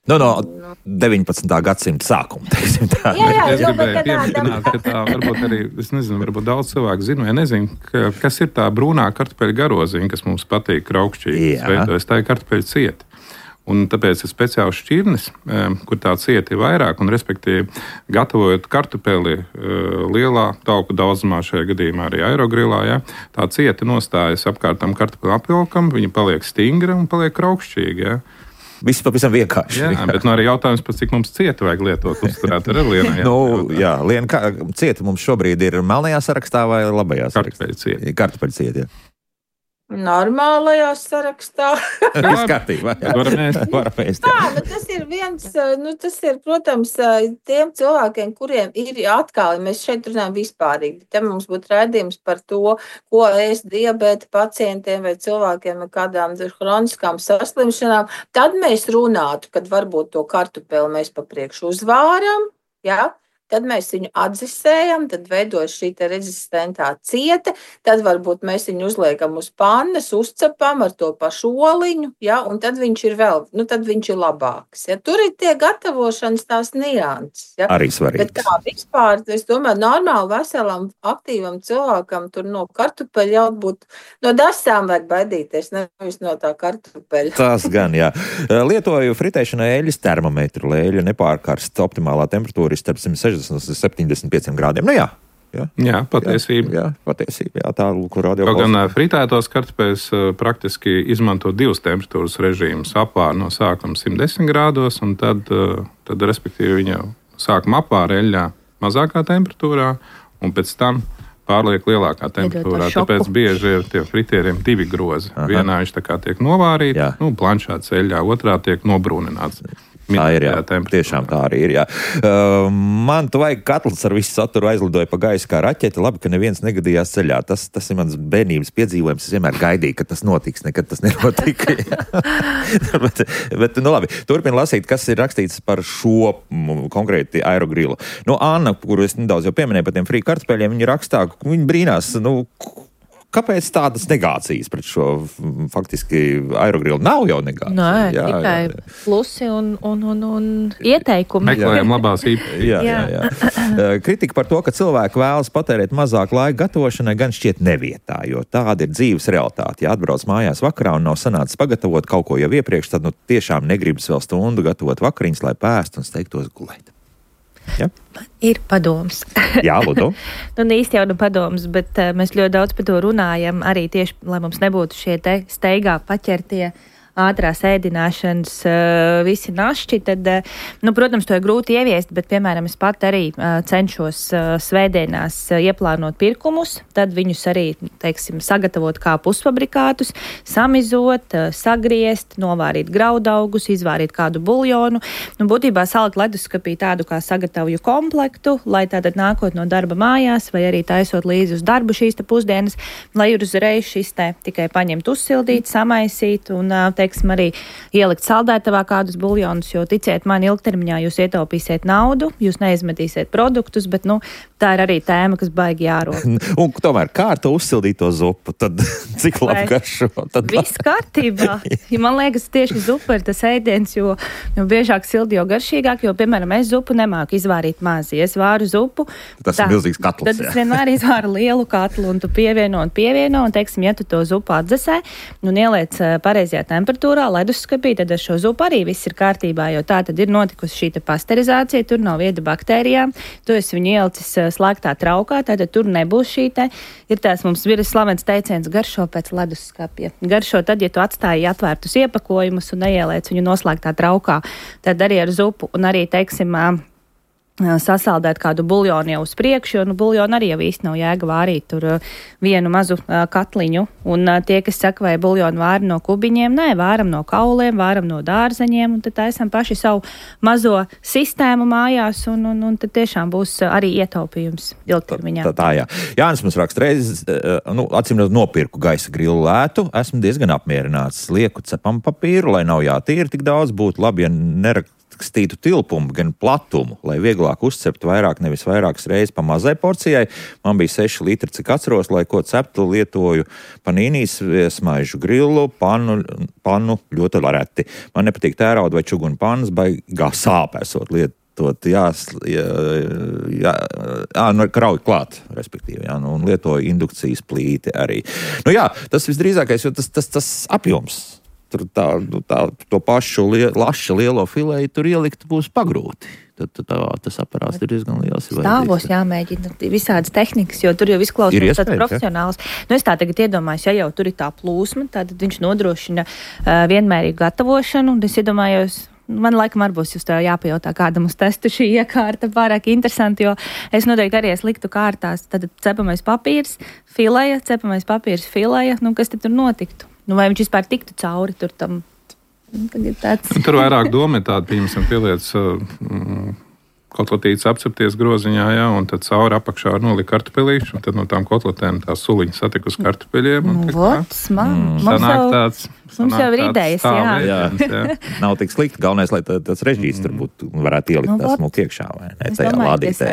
No 19. gadsimta sākuma, teiksim tā. Es gribēju pieminēt, ka tā varbūt arī, es nezinu, varbūt daudz cilvēku zinu, vai nezinu, kas ir tā brūnā kartupeļu garoziņa, kas mums patīk raukšķīgi. Tā ir kartupeļu cieta. Un tāpēc ir speciāls šķirnis, kur tā cieta ir vairāk, un respektīvi gatavojot kartupeli lielā tauku daudzumā, šajā gadījumā arī aerogrilā, ja, tā cieta nostājas apkārt tam kartupeli apvilkam, viņa paliek stingra un paliek raukšķīga. Ja. Viss pavisam vienkārši. Jā, bet arī jautājums par cik mums cieta vajag lietot uzturēt ar Lienai. Liena, cieta mums šobrīd ir melnajā sarakstā vai labajā sarakstā? Kartupeļu cieta, jā. Normālajā sarakstā. Viss kārtībā. Varam ēst. Tas ir viens, tas ir, protams, tiem cilvēkiem, kuriem ir atkal, mēs šeit runājam vispārīgi, te mums būtu raidījums par to, ko ēst diabēta pacientiem vai cilvēkiem ar kādām hroniskām saslimšanām, tad mēs runātu, kad varbūt to kartupeli mēs pa priekšu uzvāram, jā. Tad mēs viņu atdzisējam, tad veidojas šī rezistentā cieta, tad varbūt mēs viņu uzliekam uz pannas, uzcepam ar to pašu oliņu, ja, un tad viņš ir tad viņš ir labāks. Ja. Tur ir tie gatavošanas tās nianses. Ja. Arī svarīgi. Bet kā vispār, es domāju, normāli veselam, aktīvam cilvēkam tur no kartupeļa jau būt, no dasām vajag baidīties, nevis no tā kartupeļa. Tas gan, jā. Lietoju fritēšanai eļļas termometru, lai eļļa nepārkarst, optimālā temperatūra ir starp 160 uz 75 grādiem. Nu jā. Jā, patiesība. Jā, tā, kur radio kaut gan fritētos kartupeļus praktiski izmanto divas temperatūras režīmus. Apvār no sākuma 110 grādos, un tad respektīvi viņa sākuma apvār eļļā mazākā temperatūrā, un pēc tam pārliek lielākā temperatūrā. Tāpēc bieži ir tie fritieriem divi grozi. Vienā viņš tā kā tiek novārīts, blanšāts eļļā, otrā tiek nobrūnināts. Tā ir, jā. Tiešām tā arī ir, jā. Man tu vajag katls ar visu saturu aizlidoja pa gaisu kā raķeti. Labi, ka neviens negadījās ceļā. Tas ir mans bērnības piedzīvojums. Es vienmēr gaidīju, ka tas notiks, nekad tas nenotika. bet labi, turpin lasīt, kas ir rakstīts par šo konkrēti aerogrilu. Anna, kuru es nedaudz jau pieminēju par tiem frī kartupeļiem, viņa rakstā, viņa brīnās, kāpēc tādas negācijas pret šo faktiski aerogrilu? Nav jau negācijas. Nē, tikai plusi un ieteikumi. Meklējam labās īpašības. Jā. Kritika par to, ka cilvēki vēlas patērēt mazāk laika gatavošanai, gan šķiet nevietā, jo tāda ir dzīves realitāte. Ja atbrauc mājās vakarā un nav sanācis pagatavot kaut ko jau iepriekš, tad tiešām negribas vēl stundu gatavot vakariņas, lai pēst un steigtos gulēt. Ja? Man ir padoms. Jā, lūdzu. Īsti jau padoms, bet mēs ļoti daudz par to runājam, arī tieši, lai mums nebūtu šie te steigā paķertie ātrās ēdināšanas visi našķi, tad, protams, to ir grūti ieviest, bet, piemēram, es pat arī cenšos svētdienās ieplānot pirkumus, tad viņus arī, teiksim, sagatavot kā pusfabrikātus, samizot, sagriezt, novārīt graudaugus, izvārīt kādu buljonu, būtībā salikt leduskapī tādu kā sagatavoju komplektu, lai tātad nākot no darba mājās vai arī taisot līdzi uz darbu šīs te pusdienas, lai ir uzreiz šis te tikai paņemt, uzsildīt, samaisīt un teiksim, arī ielikt saldētavā kādus buljonus, jo ticiet man, ilgtermiņā jūs ietaupīsiet naudu, jūs neizmetīsiet produktus, bet, tā ir arī tēma, kas baigi jārod. Un tomēr, kā ar to uzsildīto zupu, tad cik labi garšo? Viss kārtībā. Ja man liekas, tieši zupa ir tas ēdiens, jo biežāk sildi, jo garšīgāk, jo, piemēram, es zupu nemāku izvārīt mazi. Es vāru zupu. Tas ir milzīgs katls. Tad es vienmēr izvāru lielu katlu, un tu pievieno, un teiksim, ja tu to zupu atdzesē, un ieliec pareizajā temperatūrā, leduskapī, tad ar šo zupu arī viss ir kārtībā, jo tā tad ir notikusi šī pasterizācija, tur nav vieda baktērijām, tu esi viņu ielicis slēgtā traukā, tātad tur nebūs šī te, ir tās mums ir slavens teiciens garšo pēc leduskapja. Garšo tad, ja tu atstāji atvērtus iepakojumus un neieliec viņu noslēgtā traukā, tad arī ar zupu un arī, teiksim, sasaldēt kādu buljonu jau uz priekšu, jo buljonu arī jau īsti nav jēga vārīt tur vienu mazu katliņu. Un tie, kas saka, vai buljonu vāri no kubiņiem, nē, vāram no kauliem, vāram no dārzeņiem, un tad taisam paši savu mazo sistēmu mājās, un tad tiešām būs arī ietaupījums ilgtermiņā. Tā, jā. Jānis mums raksta reizes, acīm nopirku gaisa grilu lētu, esmu diezgan apmierināts, lieku cepam papīru, lai nav jātīra tik daudz, būtu labi, ja nerakstītu tilpumu, gan platumu, lai vieglāk uzcept vairāk, nevis vairākas reizes pa mazai porcijai. Man bija 6 litri, cik atceros, lai ko ceptu, lietoju panīnijas, smaižu grilu, pannu ļoti reti. Man nepatīk tērauda vai čuguna pannas, baigā sāpēsot lietot, krauj klāt, respektīvi, un lietoju indukcijas plīti arī. Tas visdrīzākais, jo tas apjoms. tur to pašu laša lielo fileju tur ielikt būs pagrūti. Tad tas aparāts ir diezgan liels. Stāvos jāmēģina visādas tehnikas, jo tur jau izklausās tāds profesionāls. Nu, es tā tagad iedomājos, ja jau tur ir tā plūsma, tad viņš nodrošina vienmērīgu gatavošanu, un es iedomājos, man laikam arī būs jūs tā jāpajautā, kādam uz testu šī iekārta pārāk interesanti, jo es noteikti arī liktu kārtās, tad cepamais papīrs, fileja, cepamais papīrs, fileja, nu kas tad tur notiktu? Nu, vai viņš vispār tiktu cauri tur tam? Tur vairāk doma ir tāda, piemēram, pieliec kotletītes apcepties groziņā, jā, un tad cauri apakšā nolika kartupelīšu, un tad no tām kotletēm tās suliņas satika uz kartupeļiem. Mums jau ir idejas, jā. Nav tik slikti, galvenais, lai tas režģīs tur būtu, varētu ielikt tās mūk iekšā, vai ne, tajā lādītē.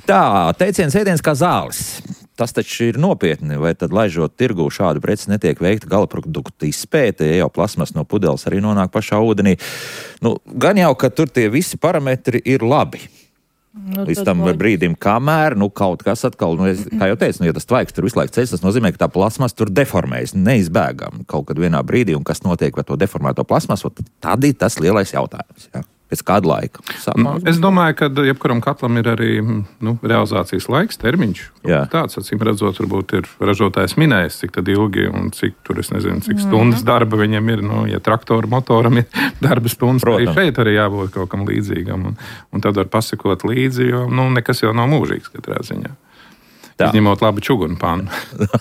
Tā, teiciens ēdiens kā zāles. Tas taču ir nopietni, vai tad laižot tirgū šādu preci netiek veikta gala produktu izpēte, ja jau plasmas no pudeles arī nonāk pašā ūdenī. Nu, gan jau, ka tur tie visi parametri ir labi. Līdz tam brīdim, kamēr, kaut kas atkal, kā jau teicu, ja tas tvaiks tur visu laiku ceļas, tas nozīmē, ka tā plasmas tur deformējas neizbēgam kaut kad vienā brīdī, un kas notiek ar to deformēto plasmasu, tad ir tas lielais jautājums, jā. Pēc kāda laika? Es domāju, ka jebkuram katlam ir arī realizācijas laiks, termiņš. Tāds, acīm redzot, varbūt ir ražotājs minējis, cik tad ilgi un cik tur, es nezinu, cik stundas darba viņam ir. Ja traktoru motoram ir darba stundas, arī šeit arī jābūt kaut kam līdzīgam. Un tad var pasakot līdzi, jo nekas jau nav mūžīgs katrā ziņā. Izņemot labu čugunu pannu.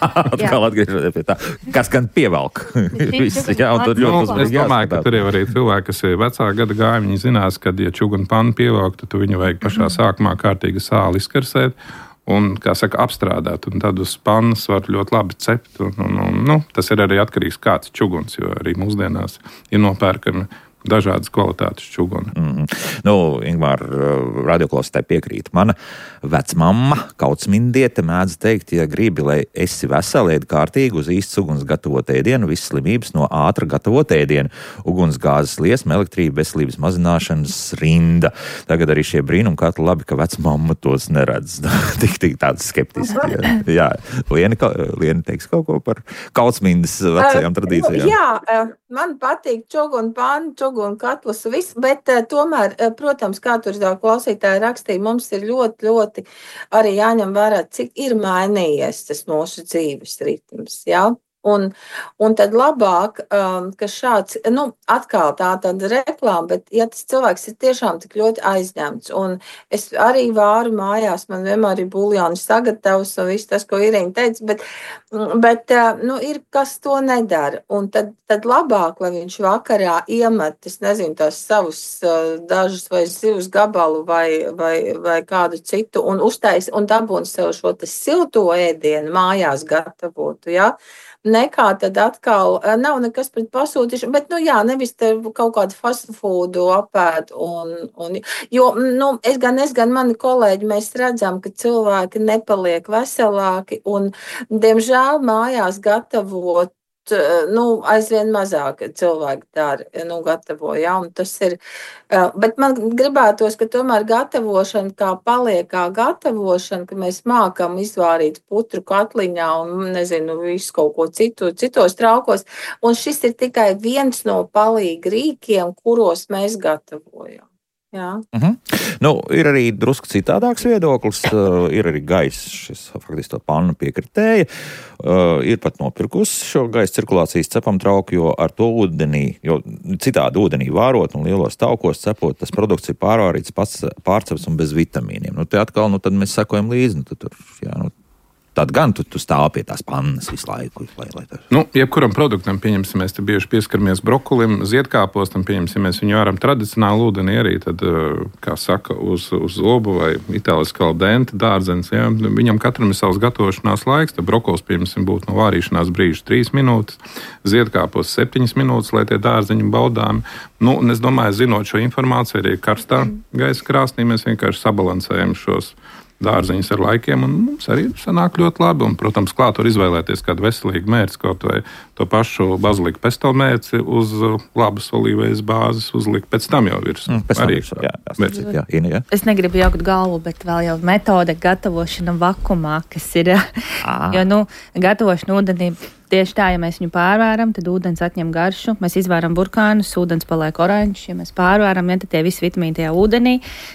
Atkal atgriežoties pie tā. Kas gan pievelk? Es domāju, ka tur jau arī cilvēki, kas ir vecā gada gāja, viņi zinās, ka, ja čugunu pannu pievelk, tad tu viņu vajag pašā sākumā kārtīgi sāli izkarsēt un, kā saka, apstrādāt. Un tad uz pannas var ļoti labi cept. Tas ir arī atkarīgs kāds čuguns, jo arī mūsdienās ir nopērkami dažādas kvalitātes čuguni. Ingmār, radioklausītāji piekrīt. Mana vecmamma, kautsmindiete, mēdz teikt, ja gribi, lai esi veseli, ēd kārtīgi uz īsts uguns gatavot ēdienu, visas slimības no ātra gatavot ēdienu, ugunsgāzes liesma, elektrība, veselības mazināšanas rinda. Tagad arī šie brīnumkatli labi, ka vecmamma tos neredz. tik tāds skeptiski. Jā. Liena teiks kaut ko par kautsmindes vecajām tradīcijām. Jā, man patīk čugunu pannu, un katlus viss, bet tomēr, protams, kā tur klausītāji rakstīja, mums ir ļoti, ļoti arī jāņem vērā, cik ir mainījies tas mūsu dzīves ritms, jā. Un tad labāk, ka šāds, atkal tāda reklāma, bet ja tas cilvēks ir tiešām tik ļoti aizņemts, un es arī vāru mājās, man vienmēr ir buljoni sagatavs un viss tas, ko Irīna teica, bet ir kas to nedara, un tad labāk, lai viņš vakarā iemet, es nezinu, tās savus dažus vai zivs gabalu vai kādu citu, un uztais, un dabūn sev šo tas silto ēdienu mājās gatavotu, jā. Nekā tad atkal nav nekas pret pasūtīšanu, bet, nevis te kaut kādu fast foodu apēd. Jo, es gan mani kolēģi, mēs redzam, ka cilvēki nepaliek veselāki un, diemžēl, mājās gatavot, aizvien mazāk cilvēki dara, gatavo, jā, un tas ir, bet man gribētos, ka tomēr gatavošana kā paliek kā gatavošana, ka mēs mākam izvārīt putru katliņā un, nezinu, visu kaut ko citos traukos, un šis ir tikai viens no palīga rīkiem, kuros mēs gatavojam. Jā. Ir arī drusku citādāks viedoklis, ir arī gaisa, šis faktiski to pannu piekritēja, ir pat nopirkusi šo gaisa cirkulācijas cepam trauku, jo ar to ūdenī, jo citādi ūdenī vārot un lielos taukos cepot, tas produkts ir pārvārīts, pārcepts un bez vitamīniem. Te atkal, tad mēs sekojam līdzi, tad gan tu stāv pie tās pannas visu laiku. Jebkuram produktam, pieņemsim, mēs te bieži pieskaramies brokolim, ziedkāpostam, pieņemsim, mēs viņu varam tradicionāli ūdenī arī, tad, kā saka, uz zobu vai itāliski al dente dārdzenes, jā, viņam katram ir savs gatavošanās laiks, tad brokols, pieņemsim, būtu no vārīšanās brīža 3 minūtes, ziedkāpos 7 minūtes, lai tie dārzeņi baudāmi. Es domāju, zinot šo informāciju, arī karstā gaisa krāsnī mēs vienkārši sabalansējam šos dārziņus ar laikiem, un mums arī sanāk ļoti labi. Un, protams, klāt var izvēlēties kādu veselīgu mērci, kaut vai to pašu baziliku pesto mērci uz labas olīvejas bāzes uzlikt, pēc tam jau virs. Jā. Es negribu jaukt galvu, bet vēl jau metode gatavošana vakumā, kas ir, jo, gatavošana ūdenī Tieši tā, ja mēs viņu pārvēram, tad ūdens atņem garšu. Mēs izvēram burkānus, ūdens paliek oranžs. Ja mēs pārvēram, tad tie visi vitamīni tajā ūdenī.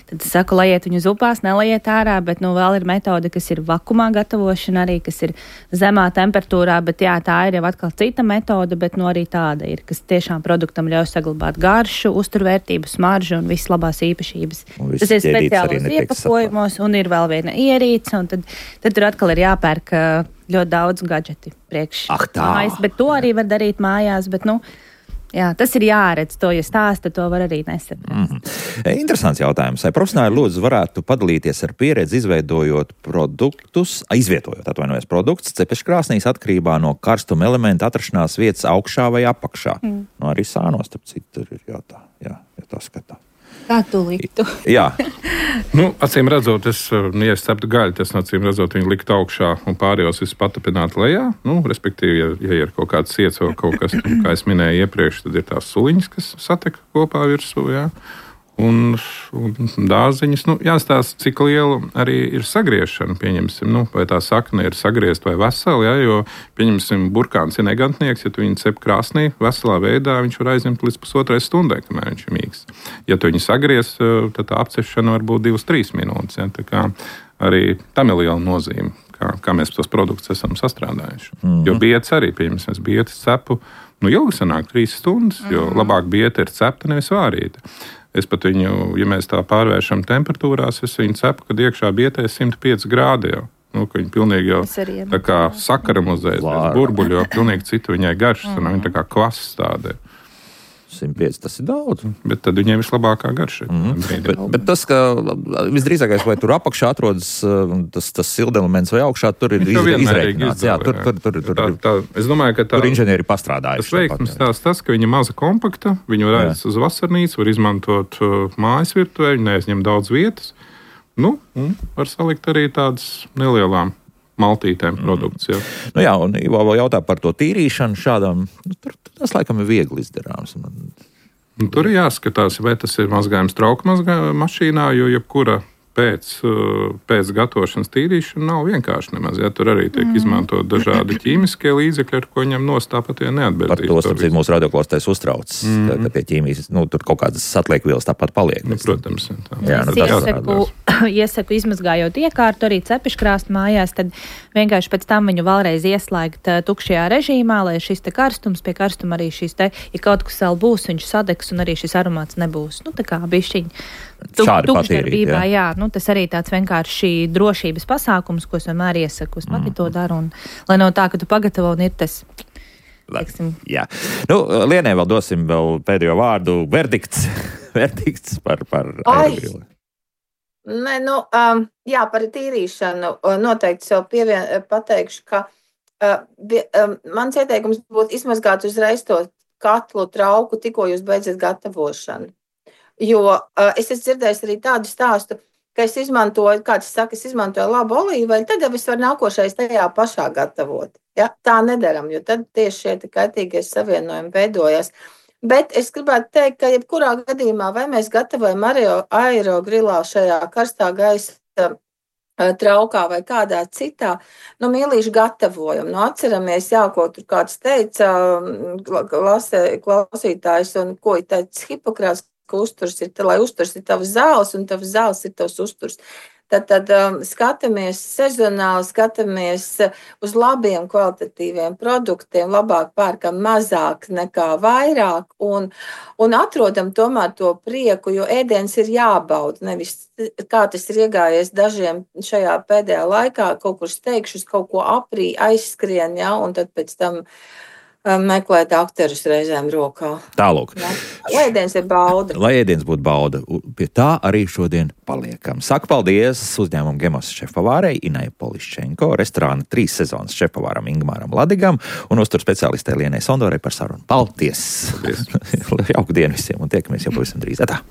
Tad es saku, lajiet viņu upās, nelajiet ārā, bet vēl ir metode, kas ir vakumā gatavošana arī, kas ir zemā temperatūrā, bet jā, tā ir jau atkal cita metode, bet arī tāda ir, kas tiešām produktam ļauj saglabāt garšu, uzturvērtību, smaržu un visas labās īpašības. Tas ir speciālos iepakojumos un ir vēl viena ierīce, un tad tur atkal ir jāpērk ļoti daudz gadžeti priekš mājas, bet to arī var darīt mājās, bet, jā, tas ir jāredz, to, ja stāsta, to var arī nesaprast. Interesants jautājums. Vai profesionāli lūdzu varētu padalīties ar pieredzi, izvietojot produktus cepeškrāsnīs atkarībā no karstuma elementa atrašanās vietas augšā vai apakšā? Arī sānos, starp citu, ir jātā, ja tā skatā. Kā tu liktu? Jā. Acīm redzot, ja es ceptu gaļu, tas acīm redzot viņu likt augšā un pārējos visu patapināt lejā. Respektīvi, ja ir kaut kāds iets vai kaut kas, kā es minēju iepriekš, tad ir tās suliņas, kas satek kopā virsū, jā. Un dārziņas, jāstāsta, cik liela arī ir sagriešana, pieņemsim, vai tā sakne ir sagriezt vai vesela, ja, jo, pieņemsim, burkāns ir negantnieks, ja tu viņu cep krāsnī, veselā veidā, viņš var aizņemt līdz 1,5 stundai, kamēr viņš ir mīgs. Ja tu viņu sagriez, tad tā apcepšana var būt 2-3 minūtes, ja, tā kā arī tam ir liela nozīme, kā mēs tos produktus esam sastrādājuši. Jo bietas arī, pieņemsim, es bietas cepu, ilgi sanāk 3 stundas, jo labāk bieta ir cepta, nevis vārīta. Es pat viņu, ja mēs tā pārvēršam temperatūrās, es viņu cepu, kad iekšā bietē 105 grādi jau. Ka viņi pilnīgi jau tā kā sakaramuzēs, burbuļi jau pilnīgi citu viņai garšas, un viņa tā kā kvass tāda. 105, tas ir daudz. Bet tad viņiem vislabākā garša. Bet tas, ka visdrīzākais, vai tur apakšā atrodas tas sildelements vai augšā, tur ir izreikināts. Jā, es domāju, ka tur inženieri pastrādājuši. Tas veiksmes tas, ka viņa maza kompakta, viņu var aizt uz vasarnīcu, var izmantot mājas virtuvē, viņa neaizņem daudz vietas. Var salikt arī tādas nelielām maltītēm produkts. Jā, un Ivo vēl jautā par to tīrīšanu šādām, tas laikam ir viegli izdarāms. Tur ir jāskatās, vai tas ir mazgājums trauku mašīnā, jo jebkura pēc gatavošanas tīrīšana nav vienkārši nemaz. Ja, tur arī tiek izmantot dažādi ķīmiskie līdzekļi, ar ko viņam tāpat neatbildīs. Par to, starpcīt, mūsu radioklausītājs uztrauc, ka pie ķīmijas, tur kaut kādas atliekvielas tāpat paliek. Protams. Iesaku izmazgājot iekārtu arī cepeškrāstu mājās, tad vienkārši pēc tam viņu vēlreiz ieslēgt tukšajā režīmā, lai šis te karstums, pie karstuma arī šis te, ja kaut kas vēl būs, viņš sadegs un arī šis aromāts nebūs. Tā kā bišķiņ tukšdarbībā, jā. Tas arī tāds vienkārši drošības pasākums, ko es vienmēr iesaku. Es pati to daru, un lai nav tā, ka tu pagatavo un ir tas, teiksim. Jā. Lienai vēl dosim pēdējo vārdu. Verdikts par aerogrilu. Nē, jā, par tīrīšanu noteikti sev pateikšu, ka mans ieteikums būtu izmazgāt uzreiz to katlu trauku, tikko jūs beidzat gatavošanu. Jo es esmu dzirdējis arī tādu stāstu, ka es izmantoju labu olīveļu, tad jau es varu nākošais tajā pašā gatavot. Ja? Tā nedaram, jo tad tieši šie kaitīgie savienojumi veidojas. Bet es gribētu teikt, ka jebkurā gadījumā, vai mēs gatavojam aerogrilā šajā karstā gaisa traukā vai kādā citā, mīlīši gatavojam. Atceramies, ko tur kāds teica, klausītājs, un ko ir teicis Hipokrāts, ka uzturs ir, lai uzturs ir tavs zāles, un tavs zāles ir tavs uzturs. Tad skatāmies sezonāli, skatāmies uz labiem kvalitatīviem produktiem, labāk pērkam mazāk nekā vairāk, un atrodam tomēr to prieku, jo ēdiens ir jābauda, nevis kā tas ir iegājies dažiem šajā pēdējā laikā, kaut kur steigšus, kaut ko aprī, aizskrien, un tad pēc tam meklēt akterus reizēm rokā. Tālūk. Lai ēdiens ir bauda. Lai ēdiens būtu bauda. Pie tā arī šodien paliekam. Saku paldies uzņēmumu Gemos šefpavārei Inai Poliščenko, restorāna 3 sezonas šefpavāram Ingmāram Ladigam un uztur speciālistē Lienai Sondorai par sarunu. Paldies! Jauku dienu visiem un tiekamies jau pavisam drīz. Atā!